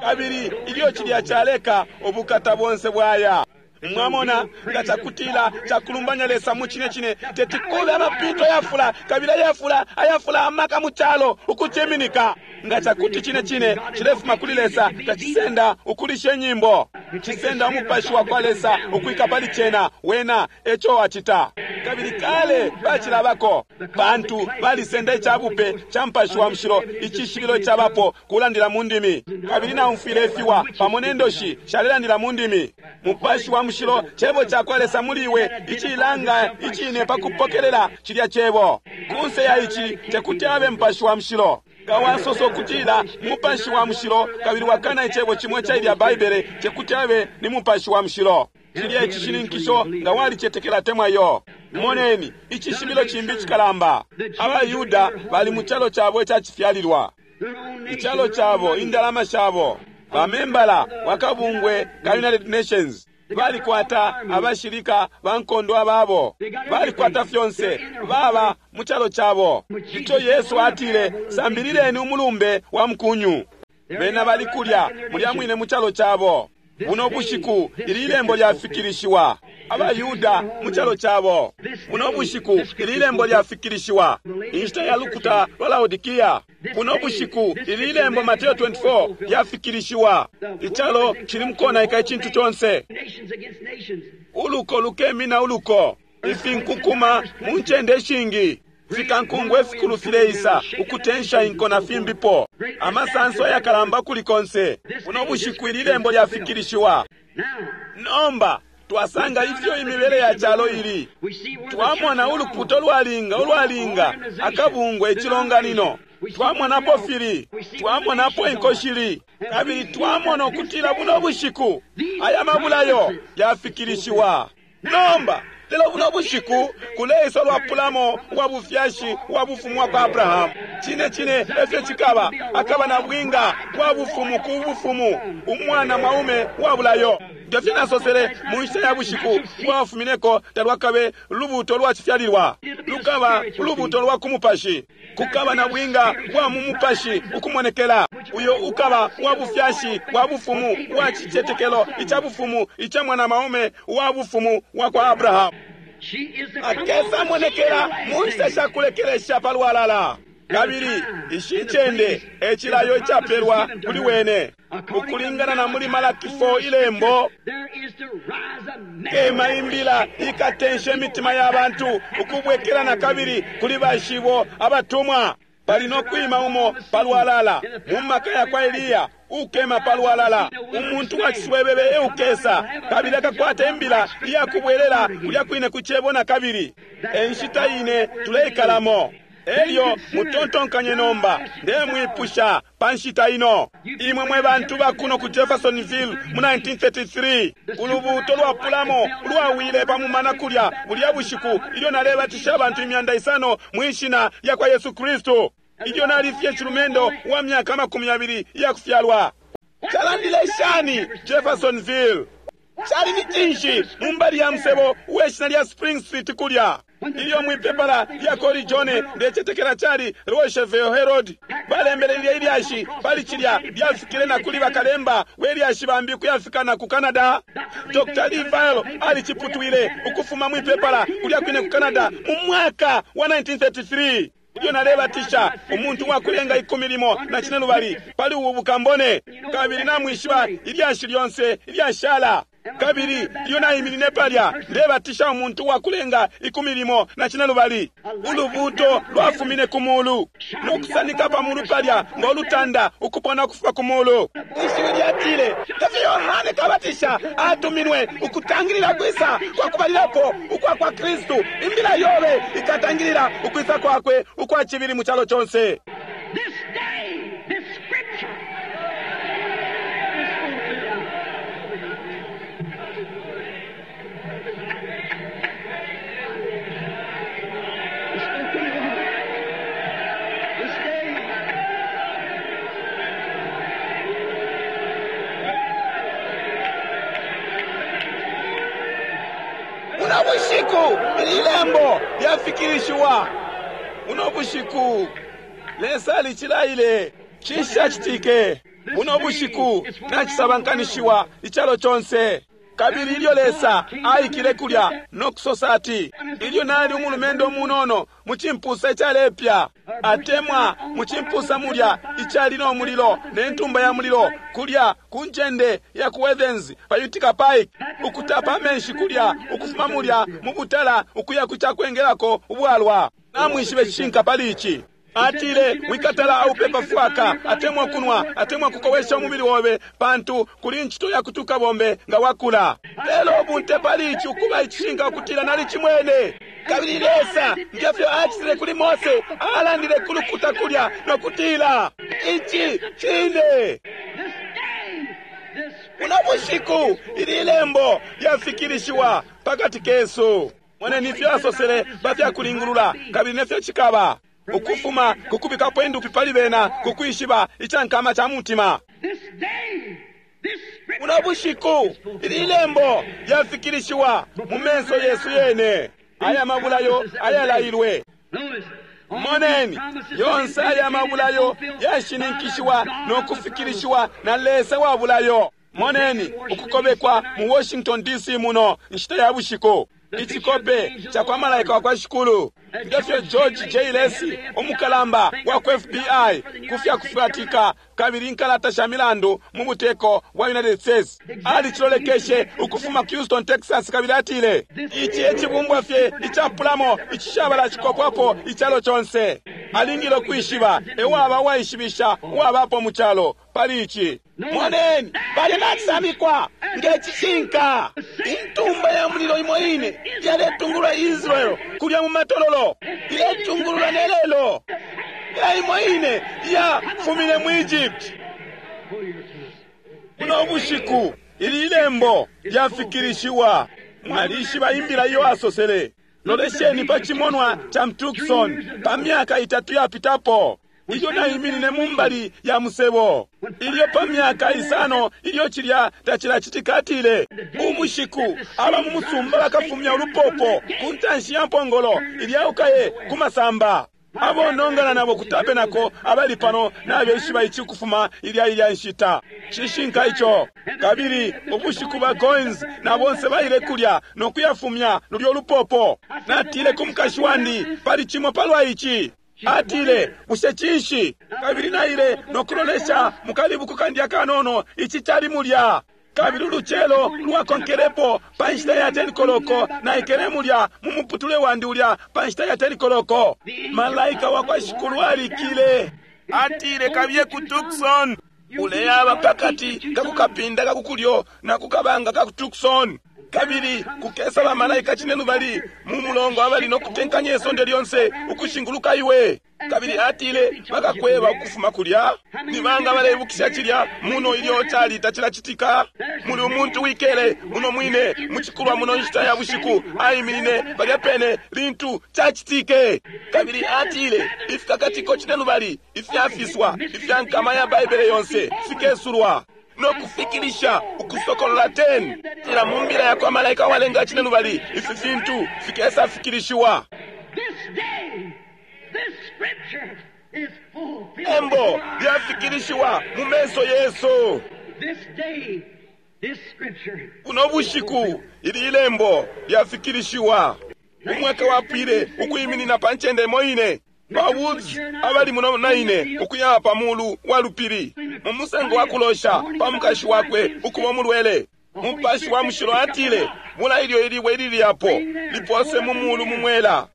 Kabili ilyo cilya caleka, ubukata bonse bwaya. Mwamona, nga cakutila cakulumbanya Lesa mu cine cine, teti kube amapito ayafula kabili ayafula ayafula amaka mu calo ukuciminika. Nga cakuti cine cine cilefuma kuli Lesa, tacisenda ukulisha inyimbo, cisenda umupashi wa kwa Lesa ukwika pali cena. Wena eco acita. Kabili kale bacilabako, pantu balisenda icabupe ca mupashi wa mushilo, icishibilo icabapo kulandila mu ndimi. Kabili naumfwile ifiwa pamo ne ndoshi shalelandila mu ndimi. Mupashi wa mushilo cebo ca kwa Lesa muli iwe, icilanga icine pa kupokelela cilya cebo. Kunse ya ici tekuti abe mupashi wa mushilo. Nga wasosa ukutila mupashi wa mushilo kabili wakana icebo cimwe ca ilya Baibele, tekuti abe ni mupashi wa mushilo. Cilya icishininkisho nga walicetekela temwa yo. Moneni icishibilo cimbi cikalamba. AbaYuda bali mu calo cabo icacifyalilwa, icalo cabo, indalama shabo, bamembala wakabungwe ka United Nations, balikwata abashilika ba nkondo ababo, balikwata fyonse, baba mu calo cabo. Ico Yesu atile, sambilileni umulumbe wa mukunyu. Bena bali kulya mulya mwine mu calo cabo. Buno bushiku ili ilembo lyafikilishiwa. AbaYuda mu calo cabo. Buno bushiku ili ilembo lyafikilishiwa. Inshita ya lukuta lwa Laodikia. Buno bushiku ili ilembo Mateo twenty-four lyafikilishiwa. Icalo cili mukonaika icintu conse. Uluko lukemina uluko. Ifinkukuma mu ncende ishingi. Fikankungwe fikulu fileisa ukutensha inko na fimbipo. Amasanso ayakalamba kuli konse. Buno bushiku ili lembo lyafikilishiwa. Nomba twasanga ifyo imibele ya calo ili. Twamona ulukuto lwalinga ulwalinga akabungwe icilonganino. Twamonapo fili, twamonapo inkoshili, kabili twamona ukutila buno bushiku aya mabulayo yafikilishiwa. Nomba lelo buno bushiku kuleisa lwapulamo wa bufyashi wa bufumu wa kwa Abrahamu. Cine cine efyo cikaba, akaba na bwinga bwa bufumu ku bufumu, umwana mwaume wa bulayo. Ngefyo nasosele mu nshita ya bushiku bwafumineko, talwakabe lubuto lwa cifyalilwa, lukaba ulubuto lwa ku mupashi. Kukaba na bwinga bwa mu mupashi ukumonekela, uyo ukaba wa bufyashi wa bufumu wa cicetekelo ica bufumu ica mwana mwaume wa bufumu wa kwa Abrahamu. Akesa monekela mu nshita sha kulekelesha palwalala. Kabili ishi ncende ecilayo icapelwa kuli wene ukulingana na muli Malaki four ilembo, kema imbila ikatensha imitima ya bantu ukubwekela na kabili kuli bashibo abatumwa. Pali no kwima umo palwalala mu maka ya kwa Eliya, ukema palwalala umuntu wa ciswebebe eukesa, kabili akakwata imbila iyakubwelela kulya kwine ku cebo na kabili. Enshita ine tuleikalamo. Elyo mutontonkanye nomba, ndemwipusha pa nshita ino. Imwe mwe bantu bakuno ku Jeffersonville mu nineteen thirty-three, ulubuto lwapulamo lwawile pa mumana kulya bulya bushiku ilyo nalebatisha abantu imyanda isano mwishina lya kwa Yesu Kristu. Ilyo nalifye chilumendo wa myaka makumi abiri iyakufyalwa. Calandile shani Jeffersonville? Cali ni cinshi mu mbali ya musebo uweshina lya Spring Street kulya? Ilyo mwipepala lya Kori John ndecetekela cali Rocheville Herald balembele lilya ilyashi pali cilya lyafikile na kuli bakalemba welyashi bambi kuyafika na ku Canada. Doctor Lee Vail aliciputwile ukufuma mwipepala kulya kwine ku Canada mu mwaka wa nineteen thirty-three. Ilyo nalebatisha umuntu wakulenga ikumi limo na cine lubali pali ubu bukambone, kabili namwishiba ilyashi lyonse ilyashala. Kabili ilyo naiminine palya ndebatisha umuntu wakulenga ikumi limo na cine lubali, ulubuto lwafumine ku mulu nokusanika pa mulu palya ng'olutanda ukupona kufuma ku mulu. Ishiwi lyatile, tefyo Yohane Kabatisha atuminwe ukutangilila kwisa kwa kubalilapo ukwa kwa Kristu. Imbila yobe ikatangilila ukwisa kwakwe ukwa cibili mu calo conse. This day, this scripture is fulfilled. Bushiku ili lembo lyafikilishiwa. Buno bushiku Lesa alicilaile. Cinshi cacitike? Buno bushiku nacisabankanishiwa icalo conse. Kabili ilyo Lesa aikile kulya no kusosa ati, ilyo nali umulumendo munono mu cimpusa icalepya, atemwa mu cimpusa mulya icali no mulilo ne ntumba ya mulilo kulya ku ncende ya ku Athens pa Utica Pike, ukutapa amenshi kulya ukufuma mulya mu butala ukuya ku cakwengelako ubwalwa. Namwishibe cishinka pali ici. Atile, wikatala aupepa fwaka, atemwa kunwa, atemwa kukowesha umubili wobe, pantu kuli ncito ya kutuka bombe nga wakula. Lelo ubunte pali ici ukuba icishinka ukutila nali cimwene. Kabili Lesa ngefyo acitile kuli Mose, alandile ku lukuta kulya no kutila ici cine. This day, this Buno bushiku ili lembo lyafikilishiwa pakati kesu. Moneni ifyo asosele pafyakulingulula, kabili nefyo cikaba ukufuma kukubikapo indupi pali bena kukwishiba icankama ca mutima. this day, this scripture Buno bushiku ili lembo lyafikilishiwa mu menso yesu yene. Aya mabulayo ayalailwe. Notice, all Moneni these promises yonse have been aya mabulayo fulfilled yashininkishiwa by the God no of the kufikilishiwa na Lesa wa bulayo. Moneni ukukobekwa mu Washington D C muno nshita ya bushiku. Icikope ca kwa malaika wa kwa Shikulu ngefyo George J. Lacey umukalamba wa ku F B I kufya kufatika kabili inkalata sha milandu mu buteko bwa United States alicilolekeshe ukufuma Houston, Texas, kabili atile ici ecibumbwa fye icapulamo icishabala cikopwapo icalo conse. Alingile ukwishiba ewaba uwaishibisha uwabapo mu calo pali ici. Moneni bali nacisamikwa ngecishinka. Intumba ya mulilo imo ine yaletungulula Israel kulya mu matololo, iletungulula ne lelo. Ya imo ine yafumine mu Egypt. Buno bushiku ili ilembo lyafikilishiwa. Mwalishiba imbila iyo asosele. Lolesheni pa cimonwa ca Tucson pa myaka itatu yapitapo, ilyo naiminine mu mbali ya musebo, ilyo pa myaka isano ilyo cilya tacilacitika, atile ubushiku aba mu musumba bakafumya ulupopo ku ntanshi ya mpongolo ilyaukaye ku masamba. Abonongana nabo ku tabenako abali pano nabeshiba ici kufuma ilya ilya nshita. Cishinka ico. Kabili ubushiku ba Goins na bonse baile kulya no kuyafumya lulyo lupopo. Natile ku mukashi wandi pali cimo palwa ici. Atile, bushe cinshi? Kabili naile no kulolesha mukalibuku kandi akanono ici cali mulya. Kabili ulucelo lwakonkelepo pa nshita ya ten koloko naikele mulya mu muputule wandi ulya pa nshita ya ten koloko. Malaika wa kwa Shikulu alikile. Atile, kabiye ku Tucson. Uleyaba pakati kakukapinda kakukulyo na kukabanga kaku Tucson. Kabili kukesa ba malaika cine lubali mu mulongo abali no kutenkanya isonde lyonse ukushinguluka iwe. Kabili atile bakakweba ukufuma kulya. Ni banga baleibukisha cilya muno ilyo cali tacilacitika. Muli umuntu wikele muno mwine mucikulwa muno nshita ya bushiku aiminine palya pene lintu cacitike. Kabili atile ifikakatiko cine lubali ifyafiswa ifya nkama ya Baibele yonse fikesulwa no kufikilisha ukusokolola ten. Tila mu mbila ya kwa malaika walenga cine lubali ifi fintu fikesa fikilishiwa. This day, this scripture is fulfilled. Embo lyafikilishiwa mu menso yesu. This day, this scripture. Buno bushiku ili ilembo lyafikilishiwa. Umwaka wapwile ukuiminina pa ncende imo ine. Ba Woods abali muno na ine ukuya pa mulu wa lupili mu musango wa kulosha pa mukashi wakwe ukuba umulwele. Mupashi wa mushilo atile mula ilyo ilibwe ilili apo lipose mu mulu mu mwela.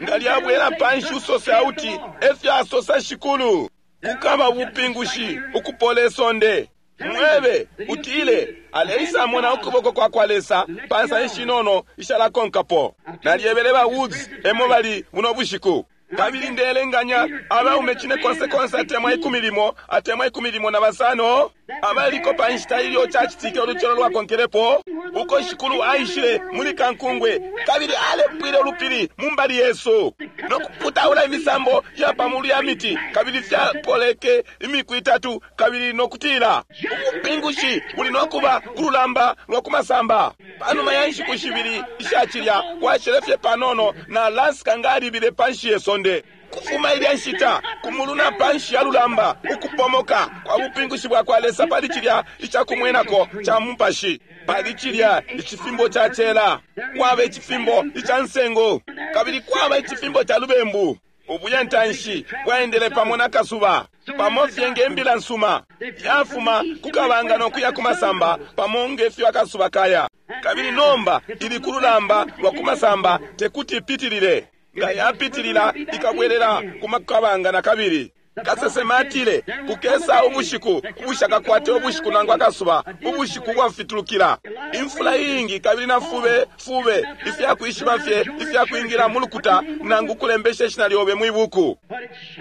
Nga lyabwela panshi usose auti efyo asosa Shikulu. Kukaba bupingushi ukupola isonde. Mwebe utile aleisamona ukuboko kwa kwa Lesa pansa ishinono ishalakonkapo. Nalyebele ba Woods emo bali buno bushiku. Kabili ndelenganya abaume cine konse konse atemwa ikumi limo atemwa ikumi limo na basano Abaliko pa nshita ilyo cacitike ulucelo lwakonkelepo, uko Shikulu aishile muli kankungwe kabili alepwile ulupili mu mbali yesu no kuputaula imisambo ya pamulu ya miti, kabili fyapoleke imiku itatu, kabili nokutila ubupingushi buli nokuba ku lulamba lwa kumasamba. Panuma ya nshiku shibili ishacilya kwashele fye panono na Alaska nga alibile panshi ye sonde. Kufuma ilya nshita kumulu na panshi ya lulamba, ukupomoka kwa bupingushi bwa kwa Lesa pali cilya icakumwenako ca mupashi, pali cilya icifimbo ca cela, kwaba icifimbo ica nsengo, kabili kwaba icifimbo ca lubembu. Ubuyantanshi bwaendele pamo na kasuba, pamo fye nge mbila nsuma yafuma kukabanga no kuya kumasamba, pamo nge fyo akasuba kaya. Kabili nomba ili ku lulamba lwa kumasamba, tekuti ipitilile. Nga yapitilila ikabwelela kumakabanga na kabili. Kasesema atile kukesa ubushiku ubushakakwate ubushiku nangu akasuba, ubushiku bwafitulukila imfula iingi, kabili na fube fube ifyakwishiba fye ifyakwingila mu lukuta nangu kulembesha ishina lyobe mwibuku.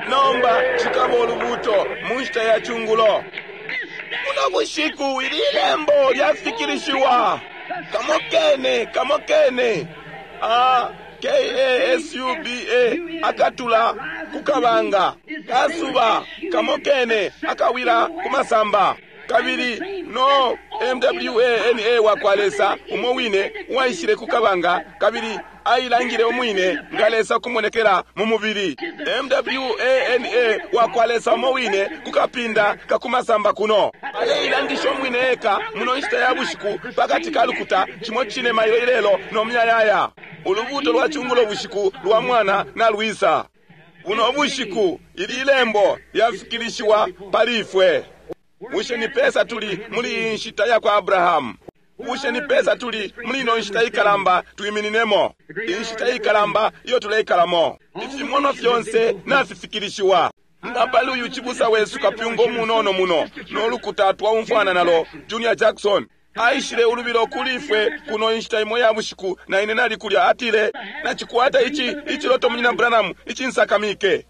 Nomba cikaba ulubuto mu nshita ya cungulo. Buno bushiku ili ilembo lyafikilishiwa. Kamo kene, kamo kene a K A S U B A akatula kukabanga, kasuba kamo kene akawila kumasamba, kabili no M W A N A wakwa Lesa umo wine uwaishile kukabanga, kabili ailangile umwine nga Lesa kumonekela mu mubili. M W A N A wakwa Lesa umo wine kukapinda kakumasamba kuno aleilangisha umwine eka muno nshita ya bushiku pakati ka lukuta cimo cine mailo ilelo no myayaya. Ulubuto lwa cungulo bushiku lwa mwana na lwisa. Buno bushiku ili ilembo lyafikilishiwa pali ifwe. Bushe ni pesa tuli muli nshita ya kwa Abrahamu? Bushe ni pesa tuli muli ino nshita ikalamba twimininemo? Inshita ikalamba iyo tuleikalamo. Ifimono fyonse nafifikilishiwa. Nga pali uyu chibusa wesu kapyungo munono muno nolukuta twaumfwana nalo Junior Jackson aishile ulubilo kuli ifwe kuno inshita imo ya bushiku, na ine nali kulya. Atile, nacikwata ichi ichiloto munyina Branham ichinsakamike.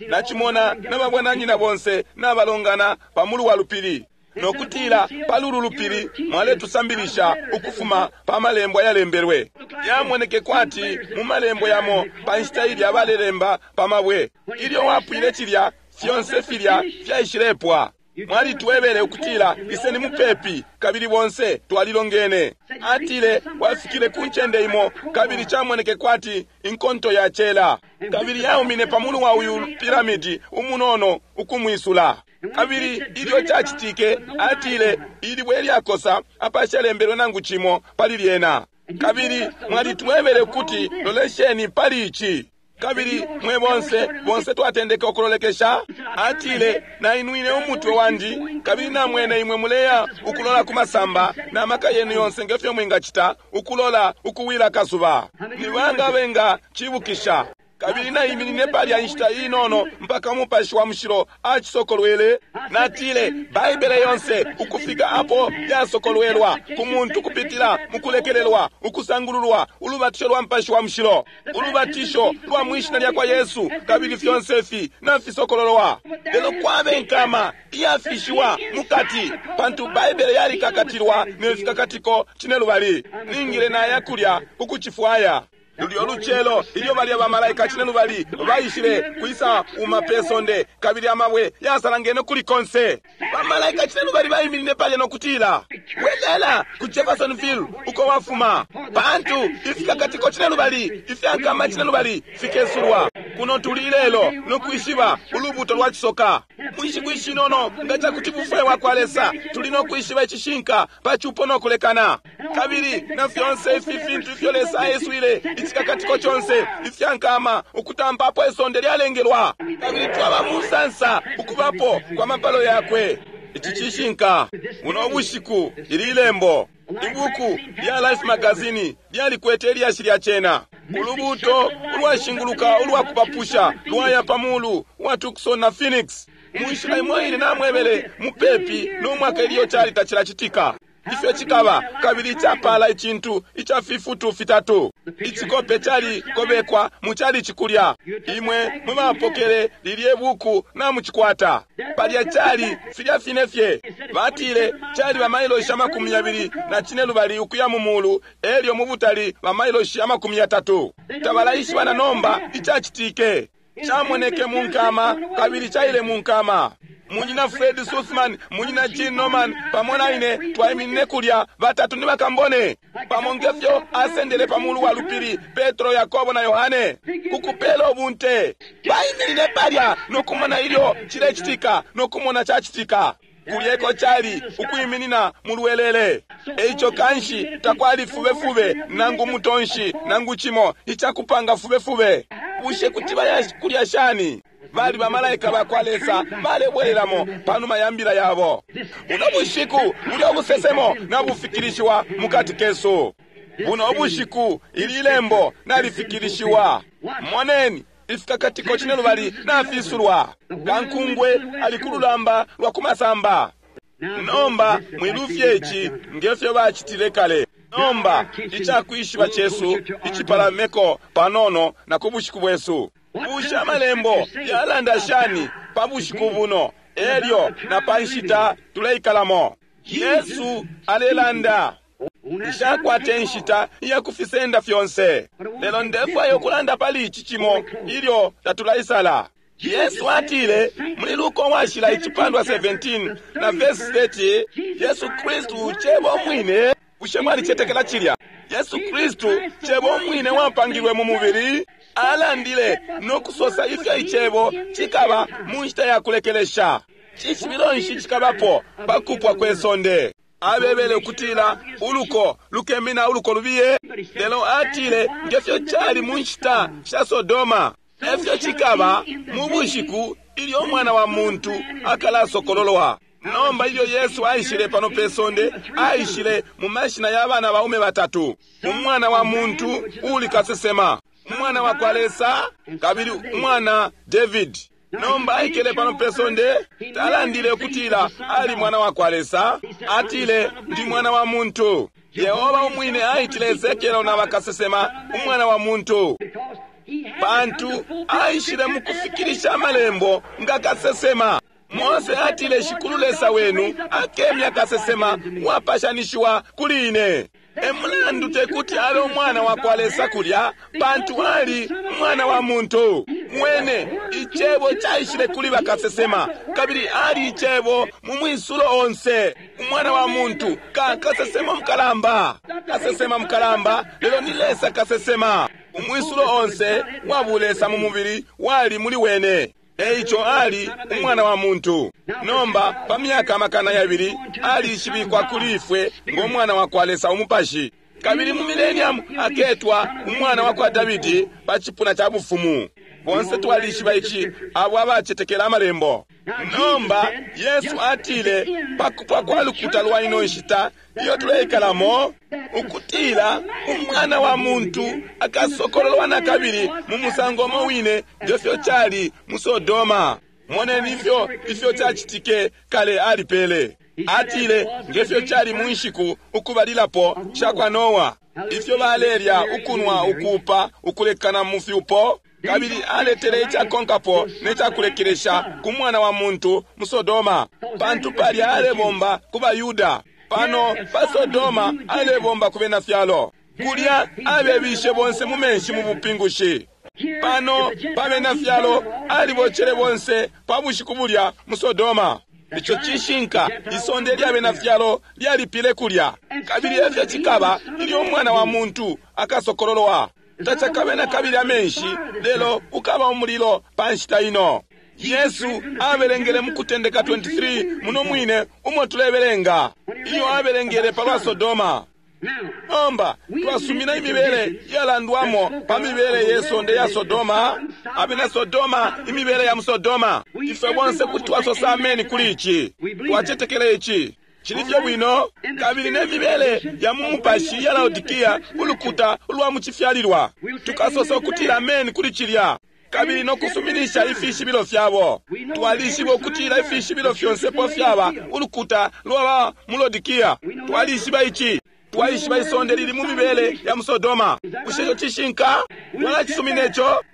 Nachimona nababwananyina bonse nabalongana pamulu wa lupili, nokutila palulu lupili mwaletusambilisha ukufuma pa malembo ayalembelwe. Yamoneke kwati mu malembo yamo pa nshita ilya balelemba pa mabwe. Ilyo wapwile cilya fyonse filya fyaishilepwa. Mwalitwebele ukutila iseni mupepi, kabili bonse twalilongene. Atile wafikile ku ncende imo, kabili chamoneke kwati inkonto ya cela, kabili yaumine pamulu wa uyu piramidi umunono ukumwisula. Kabili ilyo chachitike, atile ilibwe lyakosa apashalembelwe nangu chimo pali lyena. Kabili mwalitwebele kuti lolesheni pali ichi. Kabili mwe bonse bonse twatendeke ukulolekesha. Atile nainwine umutwe wandi, kabili namwene imwe muleya ukulola kumasamba na maka yenu yonse ngefyo mwingacita ukulola ukuwila kasuba. Ni banga benga chibukisha. Kabili naiminine palya inshita inono mpaka umupashi wa mushilo acisokolwele. Natile Baibele yonse ukufika apo yasokolwelwa ku muntu kupitila mukulekelelwa, ukusangululwa, ulubatisho lwa mupashi wa mushilo, ulubatisho lwa mwishina lya kwa Yesu, kabili fyonse fi nafisokololwa. Lelo kwabe nkama iyafishiwa mukati, pantu Baibele yalikakatilwa ne fikakatiko cinelubali. Ningile naya kulya kukucifwaya. Lulyo lucelo ilyo balya bamalaika cinelubali baishile kwisa uma pe sonde, kabili amabwe yasalangene kuli konse. Bamalaika cinelubali baiminine palya nokutila, bwelela ku Jeffersonville uko wafuma, pantu ifikakatiko cinelubali ifyankama cinelubali fikesulwa. Kuno tuli ilelo nokwishiba ulubuto lwa cisoka. Mwishiku ishinono nga cakuti bufwe wa kwa Lesa, tuli nokwishiba icishinka pa cupo nokulekana, kabili na fyonse ifi fintu ifyo Lesa aeswile icikakatiko conse ifyankama ukutampa isonde lyalengelwa. Kabili twaba musansa ukubapo kwa mapalo yakwe. Ici cishinka. Buno bushiku ili ilembo ibuku lya Life Magazine lyalikwete ilyashi lya cena. Ulubuto ulwashinguluka ulwakupapusha lwaya pamulu wa Tucson na Phoenix. Munshila imo ine namwebele mupepi no mwaka ilyo cali tacilacitika. Ifyo cikaba, kabili icapala icintu ica fifutu fitatu. Icikope cali kobekwa mu cali cikulya. Imwe mwe bapokele lilye buku na mucikwata. Palya cali filya fine fye. Batile cali bamailoshi amakumi yabili na cine lubali ukuya mu mulu, elyo mu butali bamailoshi amakumi yatatu. Tabalaishiba na nomba icacitike. Camoneke mu nkama, kabili caile mu nkama. Munyina Fred Sussman, munyina Gene Norman, pamo na ine twaiminine kulya batatu ni bakambone. Pamo ngefyo asendele pa mulu wa lupili Petro, Yakobo na Yohane kukupela ubunte. Baiminine palya nokumona ilyo cilecitika, nokumona cacitika. Kulyeko cali ukwiminina mu lwelele. Eico kanshi takwali fubefube nangu mutonshi nangu cimo icakupanga fubefube. Bushe kuti baya kulya shani? Bali bamalaika bakwa Lesa balebwelelamo panuma ya mbila yabo. Buno bushiku bulya ubusesemo nabufikilishiwa mukati kesu. Buno bushiku ili lembo nalifikilishiwa. Moneni ifikakatiko cine lubali nafisulwa. Kankungwe ali ku lulamba lwa kumasamba. Nomba mwilufye ici ngefyo bacitile kale. Nomba icakwishiba cesu icipalameko panono na ku bushiku bwesu. Bushe amalembo yalanda shani pa bushiku buno elyo na pa nshita tuleikalamo? Yesu alelanda. Nshakwate nshita iya kufisenda fyonse, lelo ndefwaya ukulanda pali ici cimo ilyo tatulaisala. Yesu atile muli Luka washila icipandwa seventeen na verse thirty, Yesu Kristu cebo mwine. Bushe mwalicetekela cilya? Yesu Kristu cebo mwine wapangilwe mu mubili, alandile no kusosa ifyo icebo cikaba mu nshita ya kulekelesha. Cishibilo nshi cikabapo pa kupwa kwe sonde? Abebele ukutila uluko lukemina uluko lubiye, lelo atile ngefyo cali mu nshita sha Sodoma, efyo cikaba mu bushiku ilyo umwana wa muntu akalasokololwa. Nomba ilyo Yesu aishile pano pe sonde, aishile mu mashina ya bana baume batatu: umwana wa muntu uli kasesema, umwana wa kwa Lesa, kabili umwana David. Nomba aikele pano pe sonde, talandile ukutila ali mwana wa kwa Lesa, atile ndi mwana wa muntu. Yehova umwine aitile Ezekiel na bakasesema umwana wa muntu, pantu aishile mu kufikilisha amalembo nga kasesema. Mose atile Shikulu Lesa wenu akemya kasesema wapashanishiwa kuli ine. Emulandu tekuti abe umwana wa kwa Lesa kulya, pantu ali umwana wa muntu. Mwene icebo caishile kuli bakasesema, kabili ali icebo mu mwisulo onse. Umwana wa muntu ka kasesema mukalamba, kasesema mukalamba, lelo ni Lesa kasesema. Umwisulo onse wa bulesa mu mubili wali muli wene. Eico ali umwana wa muntu. Nomba pa myaka amakana yabili alishibikwa kuli ifwe ngo mwana wa kwa Lesa umupashi, kabili mu millennium aketwa umwana wa kwa Davidi pa cipuna ca bufumu. Bonse twalishiba ici, abo abacetekela amalembo. Nomba Yesu atile pa kupwa kwa lukuta lwa ino nshita iyo tuleikalamo, ukutila umwana wa muntu akasokololwa na kabili mu musango umo wine ngefyo cali mu Sodoma. Moneni ifyo ifyo cacitike kale alipele. Atile ngefyo cali mu nshiku ukubalilapo sha kwa Noa, ifyo balelya, ukunwa, ukuupa, ukulekana mu fyupo, kabili aletele icakonkapo ne cakulekelesha ku mwana wa muntu mu Sodoma, pantu palya alebomba ku baYuda. Pano pa Sodoma alebomba ku bena fyalo. Kulya abebishe bonse mu menshi mu bupingushi. Pano pa bena fyalo alibocele bonse pa bushiku bulya mu Sodoma. Ico cishinka, isonde lya bena fyalo lyalipile kulya. Kabili efyo cikaba ilyo umwana wa muntu akasokololwa. Tacakabe na kabili amenshi, lelo ukaba umulilo pa nshita ino. Yesu abelengele mu Kutendeka twenty-three muno mwine umo tulebelenga ilyo abelengele palwa Sodoma. Nomba twasumina imibele yalandwamo pa mibele ye sonde ya Sodoma, abena Sodoma, imibele ya mu Sodoma. Ifwe bonse kuti twasosa ameni kuli ici, twacetekela ici. Cili fye bwino. Kabili ne mibele ya mu mupashi ya Laodikia, ulukuta ulwa mu cifyalilwa, tukasosa ukutila ameni kuli cilya. kabili no kusuminisha ifishibilo fyabo. Twalishiba ukutila ifishibilo fyonse po fyaba ulukuta lwaba mu Lodikia. Twalishiba ici. Twaishiba isonde lili mu mibele ya Musodoma. Bushe ico cishinka? Mwalacisumina ico?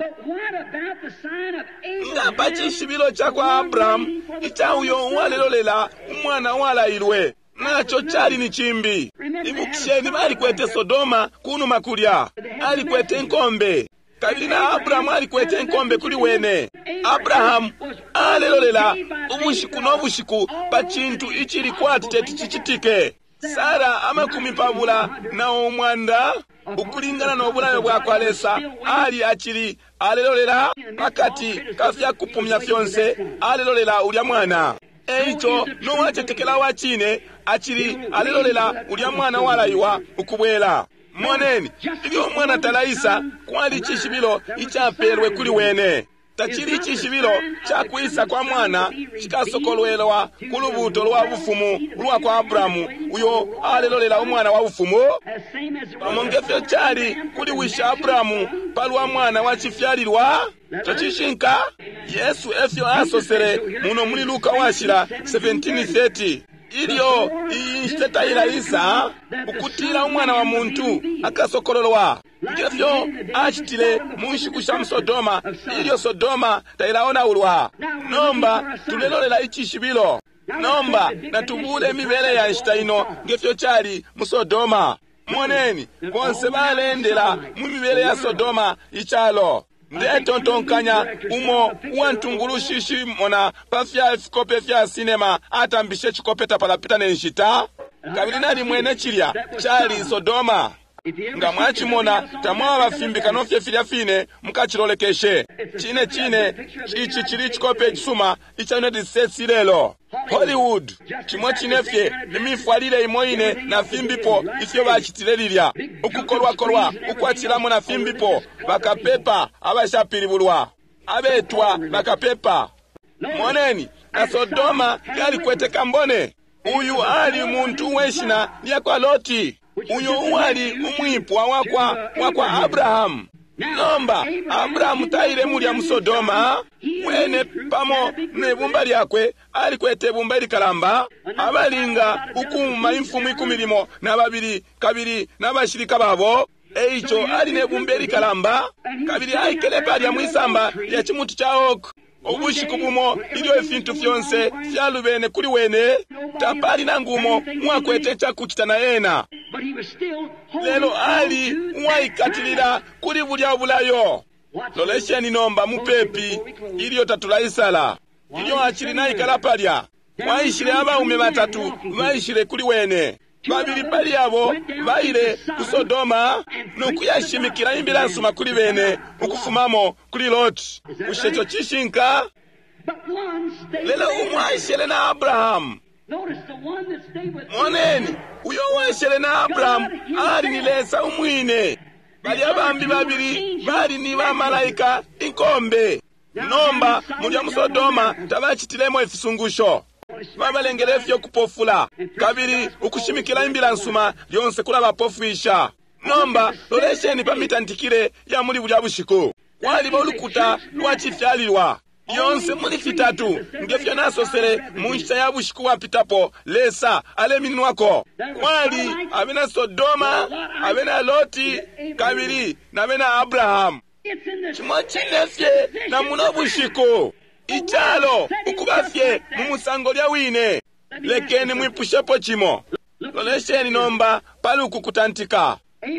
Nga pa cishibilo ca kwa Abrahamu ica uyo uwalelolela umwana uwalailwe, naco cali ni cimbi. Ibukisheni, balikwete Sodoma kunuma kulya, alikwete inkombe, kabili na Abrahamu alikwete inkombe kuli wene. Abrahamu alelolela ubushiku no bushiku pa cintu icili kwati teti cicitike. Sara amakumi pabula na umwanda ukulingana no bulayo bwa kwa Lesa ali acili alelolela pakati ka fya kupumya fyonse, alelolela ulya mwana. Eico nowacetekela wa cine acili alelolela ulya mwana walaiwa ukubwela. Moneni, ilyo umwana talaisa, kwali icishibilo icapelwe kuli wene. Tacili icishibilo ca kwisa kwa mwana cikasokolwelwa ku lubuto lwa bufumu ulwa kwa Abrahamu, uyo alelolela umwana wa bufumu, pamo nge fyo cali kuli wishi Abrahamu palwa mwana wa cifyalilwa. Ico cishinka. Yesu efyo asosele muno muli Luka washila seventeen thirty, ilyo iyi nshita tailaisa ukutila umwana wa muntu akasokololwa, ngefyo acitile mu nshiku sha mu Sodoma ilyo Sodoma tailaonaulwa. Nomba tulelolela icishibilo. Nomba natubule imibele ya nshita ino ngefyo cali mu Sodoma. Moneni, bonse balendela mu mibele ya Sodoma icalo. Ndetontonkanya umo uwantungulushi shimona pa fya fikope fya sinema atambishe cikope tapalapita ne nshita, kabili nalimwene cilya cali Sodoma. Nga mwacimona tamwaba fimbikano fye filya fine mukacilolekeshe. Cine cine ici cili cikope cisuma ica United States lelo. Hollywood cimo cine fye, imifwalile imo ine na fimbipo ifyo bacitile lilya, ukukolwakolwa ukwacilamo na fimbipo, bakapepa abashapilibulwa abetwa bakapepa. Moneni, na Sodoma yalikwete kambone. Uyu ali muntu weshina lya kwa Loti, uyo uwali umwipwa wakwa wakwa Abrahamu. Nomba Abrahamu taile mulya mu Sodoma, wene pamo ne bumba lyakwe alikwete bumba ilikalamba abalinga ukuuma imfumu ikumi limo na babili kabili n'abashilika babo. Eico ali ne bumba ilikalamba kabili aikele palya mwisamba lya cimuti ca oak. Ubushiku bumo ilyo ifintu fyonse fyalubene kuli wene, tapali nangu umo uwakwete icakucita na ena, lelo ali uwaikatilila kuli bulya bulayo. Lolesheni nomba mupepi ilyo tatulaisala. Ilyo acili naikala palya, waishile abaume batatu baishile kuli wene. Babili pali abo baile ku Sodoma no kuyashimikila imbila nsuma kuli bene ukufumamo kuli Loti. Bushe ico cishinka? Lelo umwe aishele na Abrahamu. Moneni, uyo uwaishele na Abrahamu ali ni Lesa umwine. Bali abambi babili bali ni bamalaika inkombe. Nomba mulya mu Sodoma tabacitilemo ifisungusho, babalengele fyo kupofula, kabili ukushimikila imbila nsuma lyonse kulabapofwisha. Nomba lolesheni pa mitantikile ya muli bulya bushiku. Kwaliba ulukuta lwa cifyalilwa yonse muli fitatu, ngefyo nasosele mu nshita ya bushiku bwapitapo. Lesa alemininwako. Kwali abena Sodoma, abena Loti, kabili na bena Abrahamu. Cimo cine fye na muno bushiku, icalo ukuba fye mu musango lya wine. Lekeni mwipushepo cimo. Lolesheni nomba pali uku kutantika.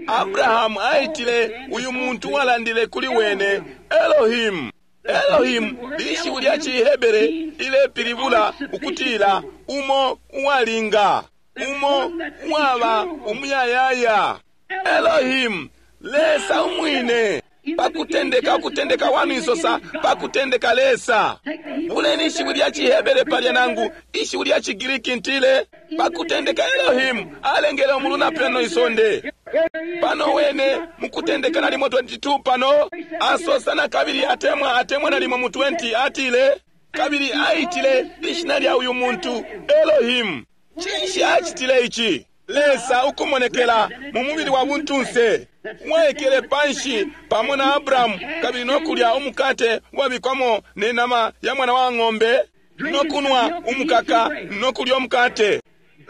Abrahamu aitile uyu muntu walandile kuli wene Elohim. Elohim lishiwi lya ciHebere ilepilibula ukutila umo uwalinga, umo uwaba umuyayaya. Elohim, Lesa umwine. Pakutendeka, ukutendeka wanu isosa pakutendeka Lesa. Buleni ishiwi lya ciHebere palya nangu ishiwi lya ciGiriki ntile pakutendeka Elohim alengele umulu na peno isonde. Pano wene mukutendeka nalimo twenty-two pano asosa na kabili atemwa atemwa nalimo mu twenty atile kabili aitile ishina lya uyu muntu Elohim. Cinshi acitile ici? Lesa ukumonekela mu mubili wa buntunse, waikele panshi pamo na Abrahamu kabili no kulya umukate wabikwamo ne nama ya mwana wa ng'ombe, no kunwa umukaka no kulya umukate.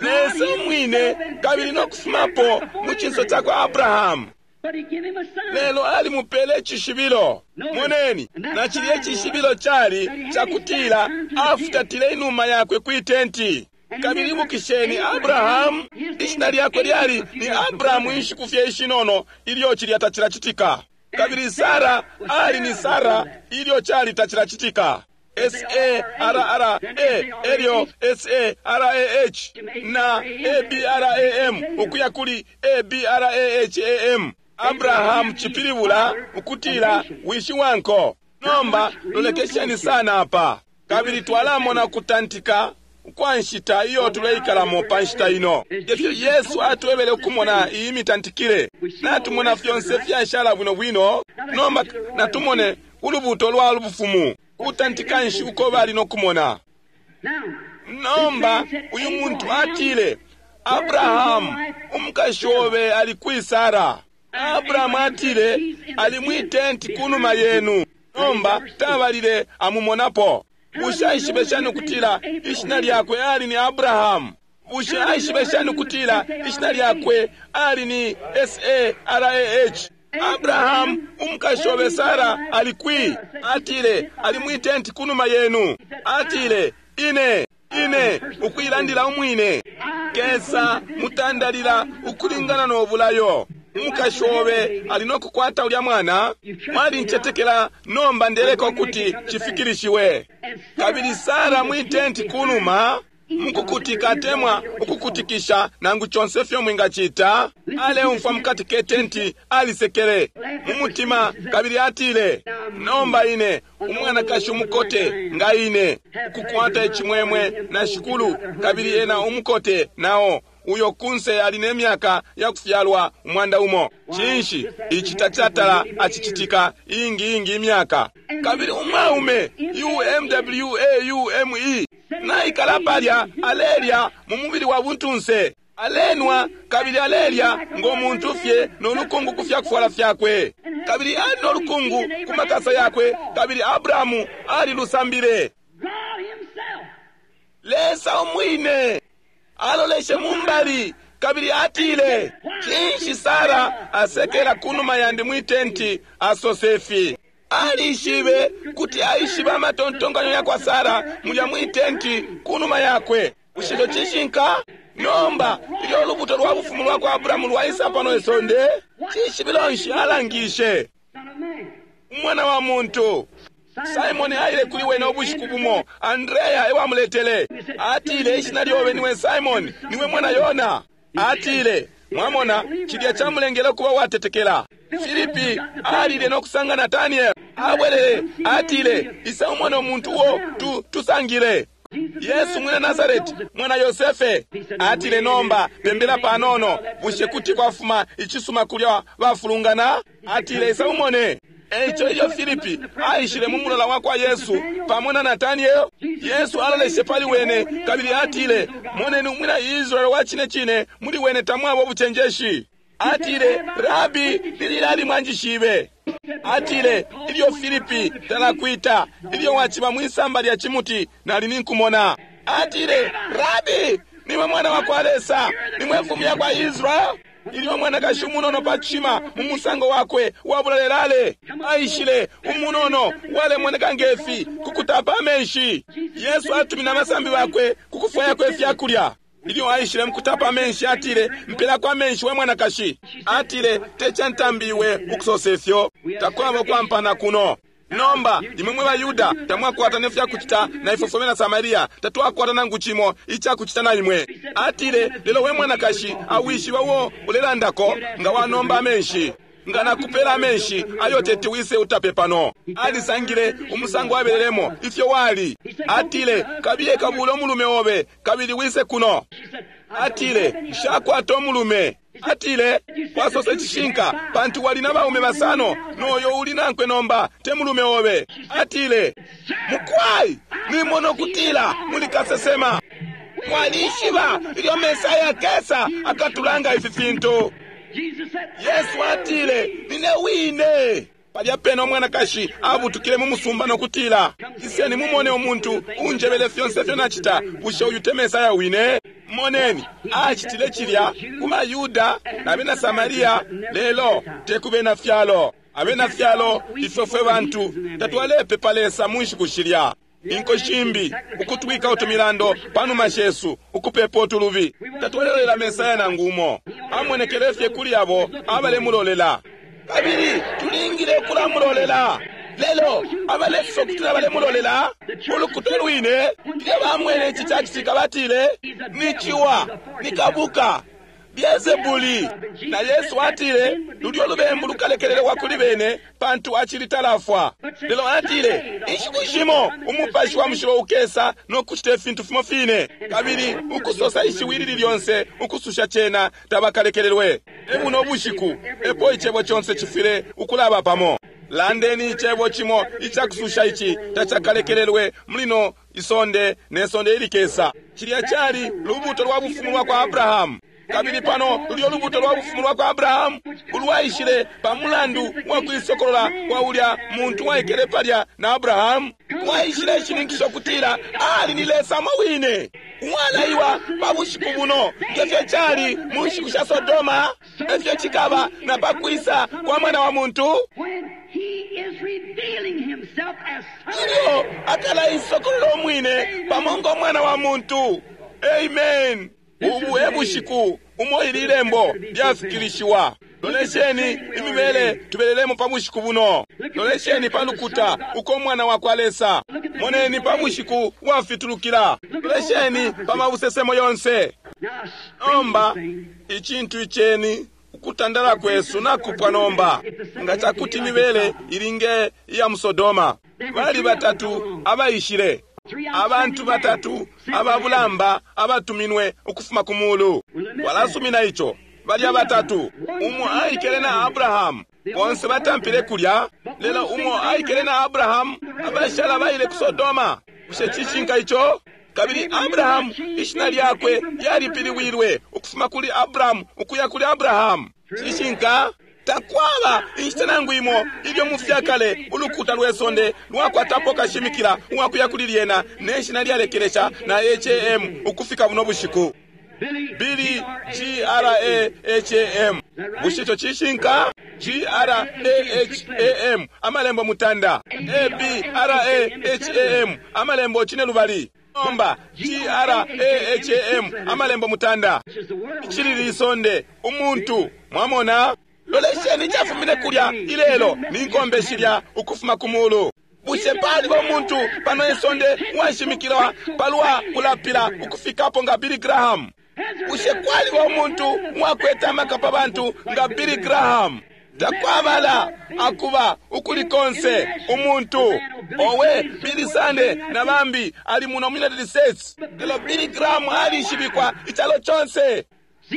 Lesa umwine kabili no kufumapo mu cinso cakwa Abrahamu. But he gave him a sign. Lelo alimupele icishibilo. Moneni, na cilya icishibilo cali cakutila afutatile inuma yakwe kwi tenti. Kabili ibukisheni Abrahamu, ishina lyakwe lyali ni Abrahamu inshiku fye ishinono ilyo cilya tacilacitika. Kabili Sara ali ni Sara ilyo cali tacilacitika. S A R R A elyo S A R A H na A B R A M ukuya kuli A B R A H A M. Abrahamu cipilibula ukutila wishi wanko. Nomba lolekesheni sana apa, kabili twalamona kutantika kwa nshita iyo tuleikalamo pa nshita ino. Ifyo Yesu atwebele ukumona iyi mitantikile, natumona fyonse fyashala bwino bwino. Nomba natumone ulubuto lwa bufumu, kutantika nshi uko bali nokumona. Now, Nomba uyu muntu atile, Abrahamu, umukashi obe ali kwi Sara? Abrahamu atile, ali mwi tenti kunuma yenu. Nomba tabalile amumonapo. Bushe aishibe shani ukutila ishina lyakwe ali ni Abrahamu? Bushe aishibe shani ukutila ishina lyakwe ali ni S A R A H? Abrahamu, umukashi obe Sara ali kwi? Atile, ali mwi tenti kunuma yenu. Atile, ine ine ukuilandila umwine kesa mutandalila ukulingana no bulayo. Umukashi obe ali no kukwata ulya mwana. Mwalincetekela, nomba ndeleka ukuti cifikilishiwe. Kabili Sara mwi tenti kunuma mukukutika atemwa ukukutikisha nangu conse fyo mwingacita, aleumfwa mukati ke tenti, alisekele mu mutima kabili atile, nomba ine umwanakashi umukote nga ine ukukwata icimwemwe na shikulu, kabili ena umukote nao uyo kunse ali ne myaka ya kufyalwa umwanda umo. Cinshi ici tacatala acicitika ingi ingi imyaka. Kabili umwaume U M W A U M E naikala palya alelya mu mubili wa buntunse, alenwa kabili alelya ngo muntu fye no lukungu ku fyakufwala fyakwe, kabili ali no lukungu ku makasa yakwe, kabili Abrahamu alilusambile. God himself Lesa umwine aloleshe mumbali kabili atile, cinshi Sara asekela kunuma yandi mwi tenti asosefi? Alishibe kuti aishiba amatontonkanyo yakwa Sara mulya mwi tenti kunuma yakwe. Bushe ico cishinka? Nomba ilyo ulubuto lwa bufumu lwa kwa Abrahamu lwaisa pano isonde, cishibilo nshi alangishe? Son of Man. Umwana wa muntu. Simoni aile kuli wene ubushiku bumo, Andrea ewamuletele. Atile, ishina lyobe niwe Simoni, niwe mwana Yona. Atile, mwamona, cilya camulengele kuba watetekela. Filipi alile no kusanga Nataniel. Abwelele, atile, isa umwana umuntu uo tu, tusangile. Yesu mwina Nazareti, mwana Yosefe. Atile, nomba pembela panono, bushe kuti kwafuma icisuma kulya bafulungana? Atile, isa umone. Eico ilyo Filipi aishile mu mulola wa kwa Yesu pamo na Nataniel, Yesu aloleshe pali wene kabili atile, moneni umwina Israeli wa cine cine, muli wene tamwaba ubucenjeshi. Atile, Rabi, lililali mwanjishibe? Atile, ilyo Filipi talakwita, ilyo waciba mwisamba lya cimuti, nali ninkumona. Atile, Rabi, niwe mwana wa kwa Lesa, nimwe mfumu ya kwa Israeli. Ilyo mwanakashi umunono pa cishima mu musango wakwe wabulalelale aishile umunono walemoneka ngefi kukutapa amenshi, Yesu atumine abasambi bakwe kukufwayako ifyakulya. Ilyo aishile mukutapa amenshi, atile, mpelako amenshi we mwanakashi. Atile, tecantambiwe ukusosa ifyo, takwaba kwampana kuno. Nomba imwe mwe baYuda tamwakwata ne fyakucita na ifwe fwe bena Samaria tatwakwata nangu cimo icakucita na imwe. Atile, lelo we mwanakashi awishiba uo ulelandako nga wanomba amenshi, nga nakupela amenshi ayo teti wise utape pano. Alisangile umusango abelelemo ifyo wali. Atile, kabiye kabule umulume obe kabili wise kuno. Atile, nshakwata umulume. Atile, wasosa icishinka, pantu wali na baume basano, noyo uli nankwe nomba te mulume obe. Atile, mukwai, nimona ukutila muli kasesema. Mwalishiba ilyo Mesaya akesa akatulanga ifi fintu. Yesu atile, nine wine. Palya pena umwanakashi abutukile mu musumba nokutila, iseni mumone umuntu unjebele fyonse fyo nacita. Bushe uyu te Mesaya wine? Moneni, acitile cilya ku Bayuda na bena Samaria, lelo te ku bena fyalo. Abena fyalo ifwe fwe bantu tatwalepepa Lesa mu nshiku shilya. Inko shimbi ukutwika utumilando panuma shesu ukupepa utulubi. Tatwalelolela Mesaya nangu umo. Amonekele fye kuli abo abalemulolela. Kabili tulingile ukulamulolela. Lelo abalesosa ukutila balemulolela ulukuta lwine, ilyo bamwene ici cacitika batile, ni ciwa, ni kabuka, Beelzebuli. Na Yesu atile lulyo lubembu lukalekelelwa kuli bene pantu acili talafwa. Lelo atile inshiku shimo umupashi wa mushilo ukesa no kucita ifintu fimo fine, kabili ukusosa ishiwi lili lyonse ukususha cena tabakalekelelwe. Ebuno bushiku epo icebo conse cifwile ukulaba pamo. Landeni icebo cimo icakususha ici tacakalekelelwe mulino isonde ne sonde ilikesa. Cilya cali lubuto lwa bufumu lwa kwa Abrahamu. Kabili pano lulyo lubuto lwa bufumu lwa kwa Abrahamu ulwaishile pa mulandu wa kuisokolola kwa ulya muntu waikele palya na Abrahamu, waishile ishininkisho kutila ali ni Lesa wine uwalaiwa pa bushiku buno, ngefyo cali mu nshiku sha Sodoma, efyo cikaba na pa kwisa kwa mwana wa muntu. Ilyo akalaisokolola umwine pamo ngo mwana wa muntu. Amen. Ubu e bushiku umo ili lembo lyafikilishiwa. Lolesheni imibele tubelelemo pa bushiku buno. Lolesheni pa lukuta uko mwana wa kwa Lesa. Moneni pa bushiku wafitulukila. Lolesheni pa mabusesemo yonse. Nomba icintu iceni ukutandala kwesu nakupwa nomba. Nga cakuti imibele ilinge iya mu Sodoma. Bali batatu abaishile. Abantu batatu ababulamba abatuminwe ukufuma ku mulu. Walasumina ico. Balya batatu, umo aikele na Abrahamu, bonse batampile kulya, lelo umo aikele na Abrahamu, abashala baile ku Sodoma. Bushe cishinka ico? Kabili Abrahamu ishina lyakwe lyalipiliwilwe ukufuma kuli Abrahamu ukuya kuli Abrahamu. Cishinka? Takwaba inshita nangu imo ilyo mu fyakale ulukuta lwe sonde lwakwatapo kashimikila uwakuya kuli lyena ne shina lyalekelesha na H A M ukufika buno bushiku. Billy G R A H A M. Bushe ico cishinka? G R A H A M amalembo mutanda. A B R A H A M amalembo cine lubali. Nomba G R A H A M amalembo mutanda. Icili lisonde umuntu mwamona. Lolesheni cafumine kulya ilelo ni nkombe shilya ukufuma ku mulu. Bushe paliba umuntu pano isonde washimikilwa palwa kulapila ukufikapo nga Billy Graham? Bushe kwaliba umuntu wakwete amaka pa bantu nga Billy Graham? Takwabala akuba ukuli konse umuntu. Owe Billy Sunday na bambi ali muno mu United States. Lelo Billy Graham alishibikwa icalo conse.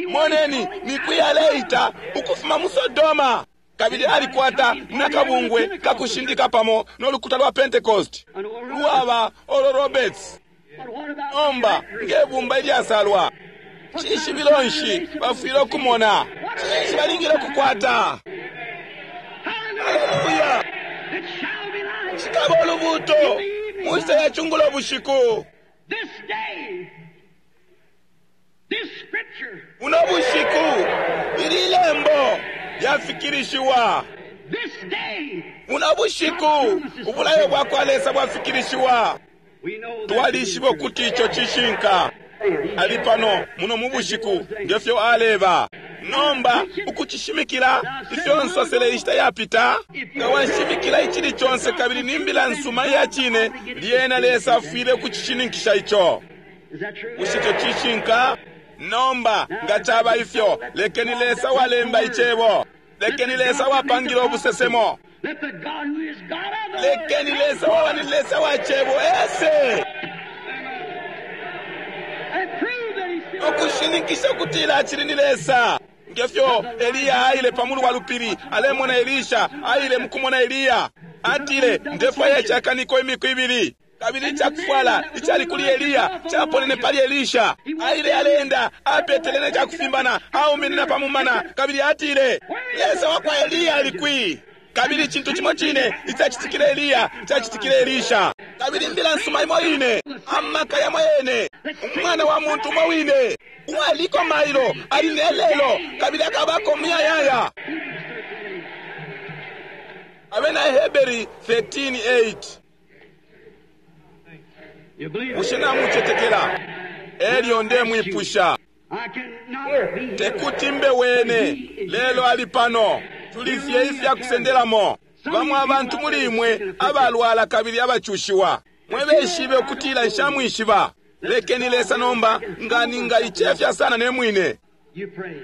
Moneni ni aleita ukufuma mu Sodoma. Kabili alikwata nakabungwe kakushindika pamo n'olukuta lwa Pentecost lwaba Oral Roberts. Nomba ngebumba ilyasalwa cishibilo nshi bafwile okumona? Cinshi balingile okukwata? Haleluya! Cikaba olubuto mu nshita ya cungulo bushiku. Buno bushiku ili lembo lyafikilishiwa. Buno bushiku ubulayo bwa kwa Lesa bwafikilishiwa. Twalishiba ukuti ico cishinka. Ali pano muno mu bushiku ngefyo aleba. Nomba ukucishimikila ifyo nsosele inshita yapita, nga washimikila icili conse kabili ni mbila nsuma iya cine, lyena Lesa afwile ukucishininkisha ico. Bushe ico cishinka? Nomba nga caba ifyo, lekeni Lesa walemba icebo. Lekeni Lesa wapangila ubusesemo. Lekeni Lesa waba ni Lesa wa cebo ese. Ukushininkisha ukutila acili ni Lesa. Ngefyo Eliya aile pamulu wa lupili, alemona Elisha, aile mukumona Eliya. Atile, ndefwaya icakaniko imiku ibili. Kabili icakufwala icali kuli Eliya caponene pali Elisha. Aile aleenda apetele ne cakufimbana, auminina pa mumana, kabili atile, Lesa wa kwa Eliya ali kwi? Kabili icintu cimo cine icacitikile Eliya cacitikile Elisha. Kabili imbila nsuma imo ine, amaka yamo yene, umwana wa muntu umo wine uwaliko mailo ali ne lelo kabili akabako muyayaya. Abena Heberi thirteen eight. You believe Bushe namucetekela? Elyo ndemwipusha, I cannot be healed. tekuti mbe wene, lelo ali pano. Tulifye ifya kusendelamo. Bamwe abantu muli imwe abalwala kabili abacushiwa, mwebeshibe ukutila nshamwishiba. Lekeni Lesa nomba nga ningaicefya sana ne mwine. You pray.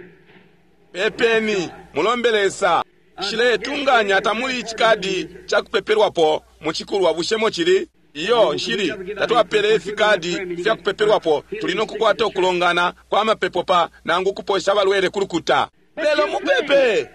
Pepeni, mulombe Lesa. Nshiletunganya tamuli icikadi cakupepelwapo mucikulwa, bushemo cili? Iyo, nshili tatwapele ifikadi fya kupepelwapo. Tuli nokukwata ukulongana kwa mapepo pa nangu kuposha abalwele kulukuta. Lelo mupepe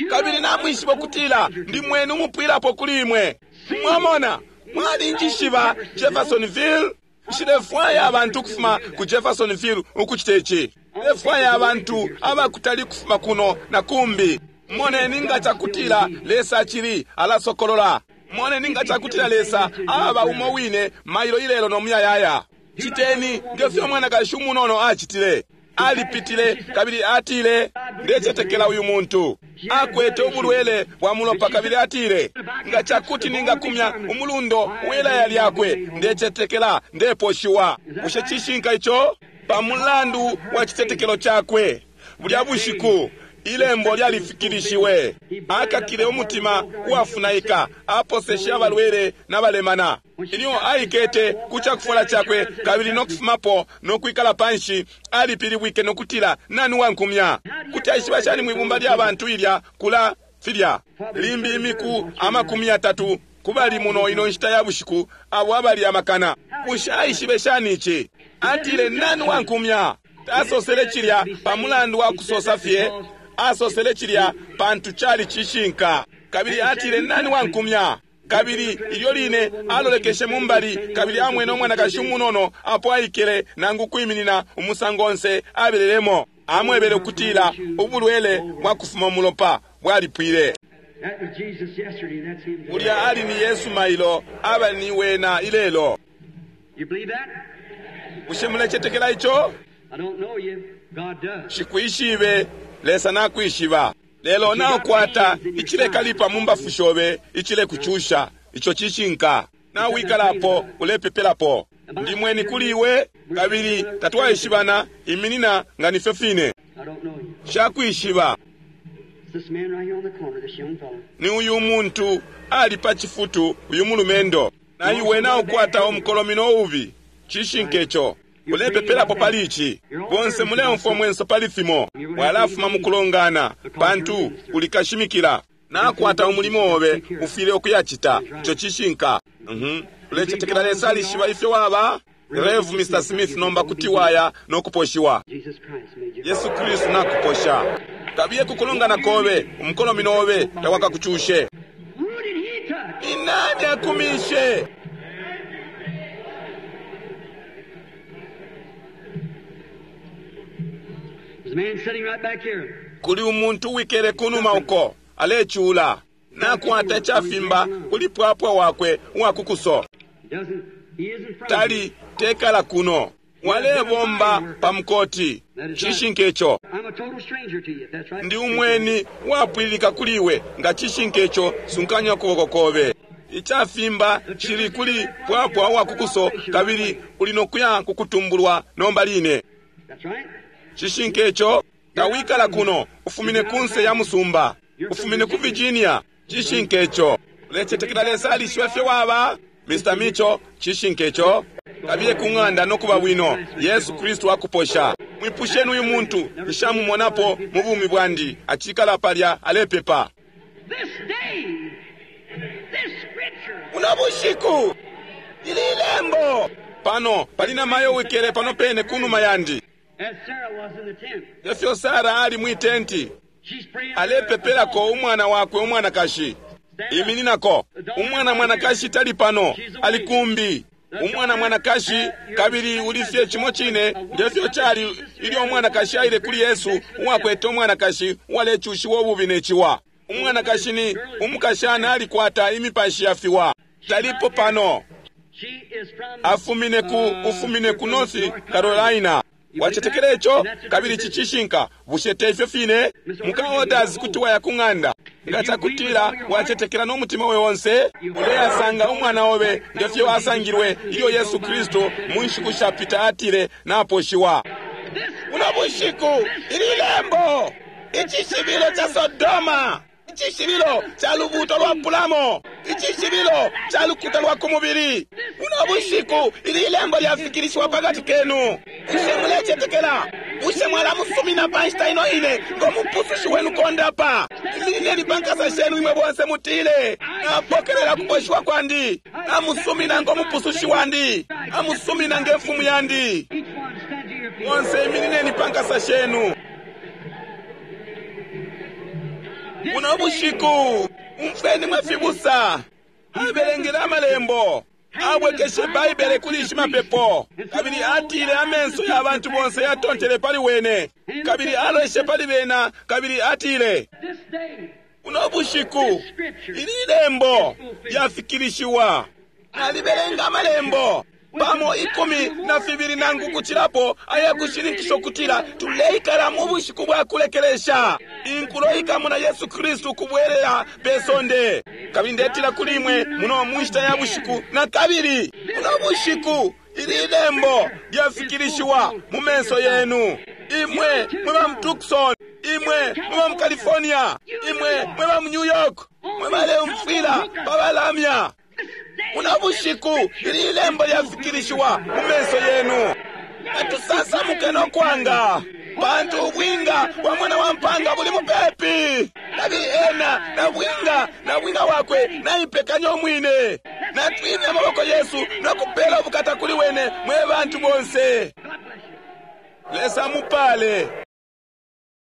kabili namwishiba ukutila ndi mwenu umupwilapo kuli imwe. Mwamona, mwalinjishiba Jeffersonville. Nshilefwaya abantu ukufuma ku Jeffersonville ukucita ici. Nshilefwaya abantu abakutali kufuma kuno na kumbi. Moneni nga cakutila Lesa acili alasokolola. Moneni nga cakutila Lesa aba umo wine mailo ilelo no muyayaya. Citeni ngefyo umwanakashi umunono acitile. Alipitile kabili atile, ndecetekela uyu muntu akwete ubulwele bwa mulopa, kabili atile, nga cakuti ningakumya umulundo welaya lyakwe, ndecetekela ndeposhiwa. Bushe cishinka ico? Pa mulandu wa citetekelo cakwe, bulya bushiku ilembo lyalifikilishiwe. Akakile umutima uwafunaika, aposeshe abalwele n'abalemana. Ilyo aikete ku cakufwala cakwe kabili nokufumapo nokwikala panshi, alipilibwike nokutila, nani wankumya? Kuti aishiba shani mwibumba lya bantu ilya kula filya limbi imiku amakumi yatatu kubali muno ino nshita ya bushiku abo abali amakana. Bushe aishibe shani ici? Atile, nani wankumya? Tasosele cilya pa mulandu wa kusosa fye, asosele cilya pantu cali cishinka. Kabili atile, nani wankumya? Kabili ilyo line alolekeshe mumbali kabili amwene umwanakashi umunono apo aikele nangu kwiminina umusango onse abelelemo. Amwebele ukutila ubulwele bwa kufuma umulopa bwalipwile. That was Jesus yesterday, that's him today. Ulya ali ni Yesu mailo, aba ni wena ilelo. You believe that? Bushe mulecetekela ico? I don't know you. God does. Shikwishibe, Lesa nakwishiba. Lelo naukwata icilekalipa mu mbafu shobe, icilekucusha, ico cishinka. Nawikalapo ulepepelapo. Ndi mweni kuli iwe, kabili tatwaishibana, iminina nga nifyo fine. I don't know you. Shakwishiba. It's this man right here on the corner, this young fellow. Ni uyu muntu ali pa chifutu, uyu mulumendo. Na iwe naukwata umukolomino ubi. Cishinka ico. Ulepepelapo pali ici. Bonse muleumfwa mwenso pali fimo. Walafuma mukulongana, pantu ulikashimikila. Nakwata umulimo obe, ufile ukuyacita. Ico cishinka. Mhm. Ulecetekela Lesa alishiba ifyo waba? Rev Mister Smith nomba kuti waya nokuposhiwa. Jesus Christ made you. Yesu Kristu nakuposha. Kabiye kukulongana kobe, umukolomino obe tawakakucushe. Who did he touch? Ni nani akumishe? There's a man sitting right back here. Kuli umuntu uwikele kunuma uko alecula nakwata icafimba kuli pwapwa wakwe uwakukuso. He doesn't, he isn't from Tali here. tekala kuno walebomba pa mukoti. Cishinka ico. I'm a total stranger to you. That's right. Ndi umweni wapwililika kuli iwe, nga cishinka ico sunkanya ukuboko kobe. Icafimba cili kuli pwapwa uwakukuso kabili uli nokuya kukutumbulwa nomba line. That's right. Cishinka ico, tawikala kuno, ufumine kunse ya musumba, ufumine ku Virginia. Cishinka ico. Ulecetekela Lesa alishiba ifyo waba? Mister Mitchell, cishinka ico. Kabiye ku ng'anda nokuba bwino. Yesu Kristu akuposha. Mwipusheni uyu muntu, nshamumonapo mu bumi bwandi, acikala palya alepepa. This day, this scripture. Buno bushiku ili ilembo pano pali na mayo wikele pano pene kunuma yandi. As Sarah was in the tent. Efyo Sara ali mwi tenti She's praying. alepepelako umwana wakwe umwanakashi. Imininako umwana mwanakashi tali pano, ali kumbi. Umwana mwanakashi, kabili ulifye cimo cine ngefyo cali ilyo umwanakashi aile kuli Yesu, uwakwete umwanakashi uwalecushiwa ububi ne ciwa. Umwanakashi ni umukashana alikwata imipashi ya fiwa. Talipo pano. Afumine ku ufumine ku North Carolina. Wacetekela ico? Kabili ici cishinka. Bushe te ifyo fine? Muka Orders kuti waya ku ng'anda. Nga cakutila wacetekela no mutima we onse, uleyasanga umwana obe ngefyo asangilwe ilyo Yesu Kristu mu nshiku shapita atile naposhiwa. Buno bushiku ili lembo, icishibilo ca Sodoma, icishibilo ca lubuuto lwa pulamo, icishibilo ca lukuta lwa ku mubili. Buno bushiku ili lembo lyafikilishiwa pakati kenu. Bushe mulecetekela? Bushe mwalamusumina pa nshita ino ine ngo mupusushi wenu kondapa? Iminineni pa nkasa shenu imwe bonse mutile, napokelela kuposhiwa kwandi, namusumina ngo mupusushi wandi, namusumina nge mfumu yandi. Bonse iminineni pa nkasa shenu. Buno bushiku umfweni mwe fibusa, abelengele amalembo, abwekeshe Baibele kuli shimapepo, kabili atile amenso ya bantu bonse yatontele pali wene, kabili aloshe pali bena, kabili atile, buno bushiku ili lembo lyafikilishiwa. Nalibelenga amalembo pamo ikumi na fibili nangu kucilapo ayakushininkisha ukutila tuleikala mu bushiku bwa kulekelesha. Inkulo ikamona Yesu Kristu kubwelela pe sonde. Kabili ndetila kuli imwe muno mu nshita ya bushiku na kabili, muno bushiku ili lembo lyafikilishiwa mu menso yenu. Imwe mwe ba mu Tucson, imwe mwe ba mu California, imwe mwe ba mu New York, mwe baleumfwila pa balamya. Muno bushiku ili lembo lyafikilishiwa mu menso yenu. Atusansamuke no kwanga, pantu ubwinga bwa mwana wa mpanga buli mupepi. Kabili ena na bwinga na bwinga wakwe naipekanya umwine. Natwimye amaboko Yesu no kupela ubukata kuli wene mwe bantu bonse. Lesa mupale.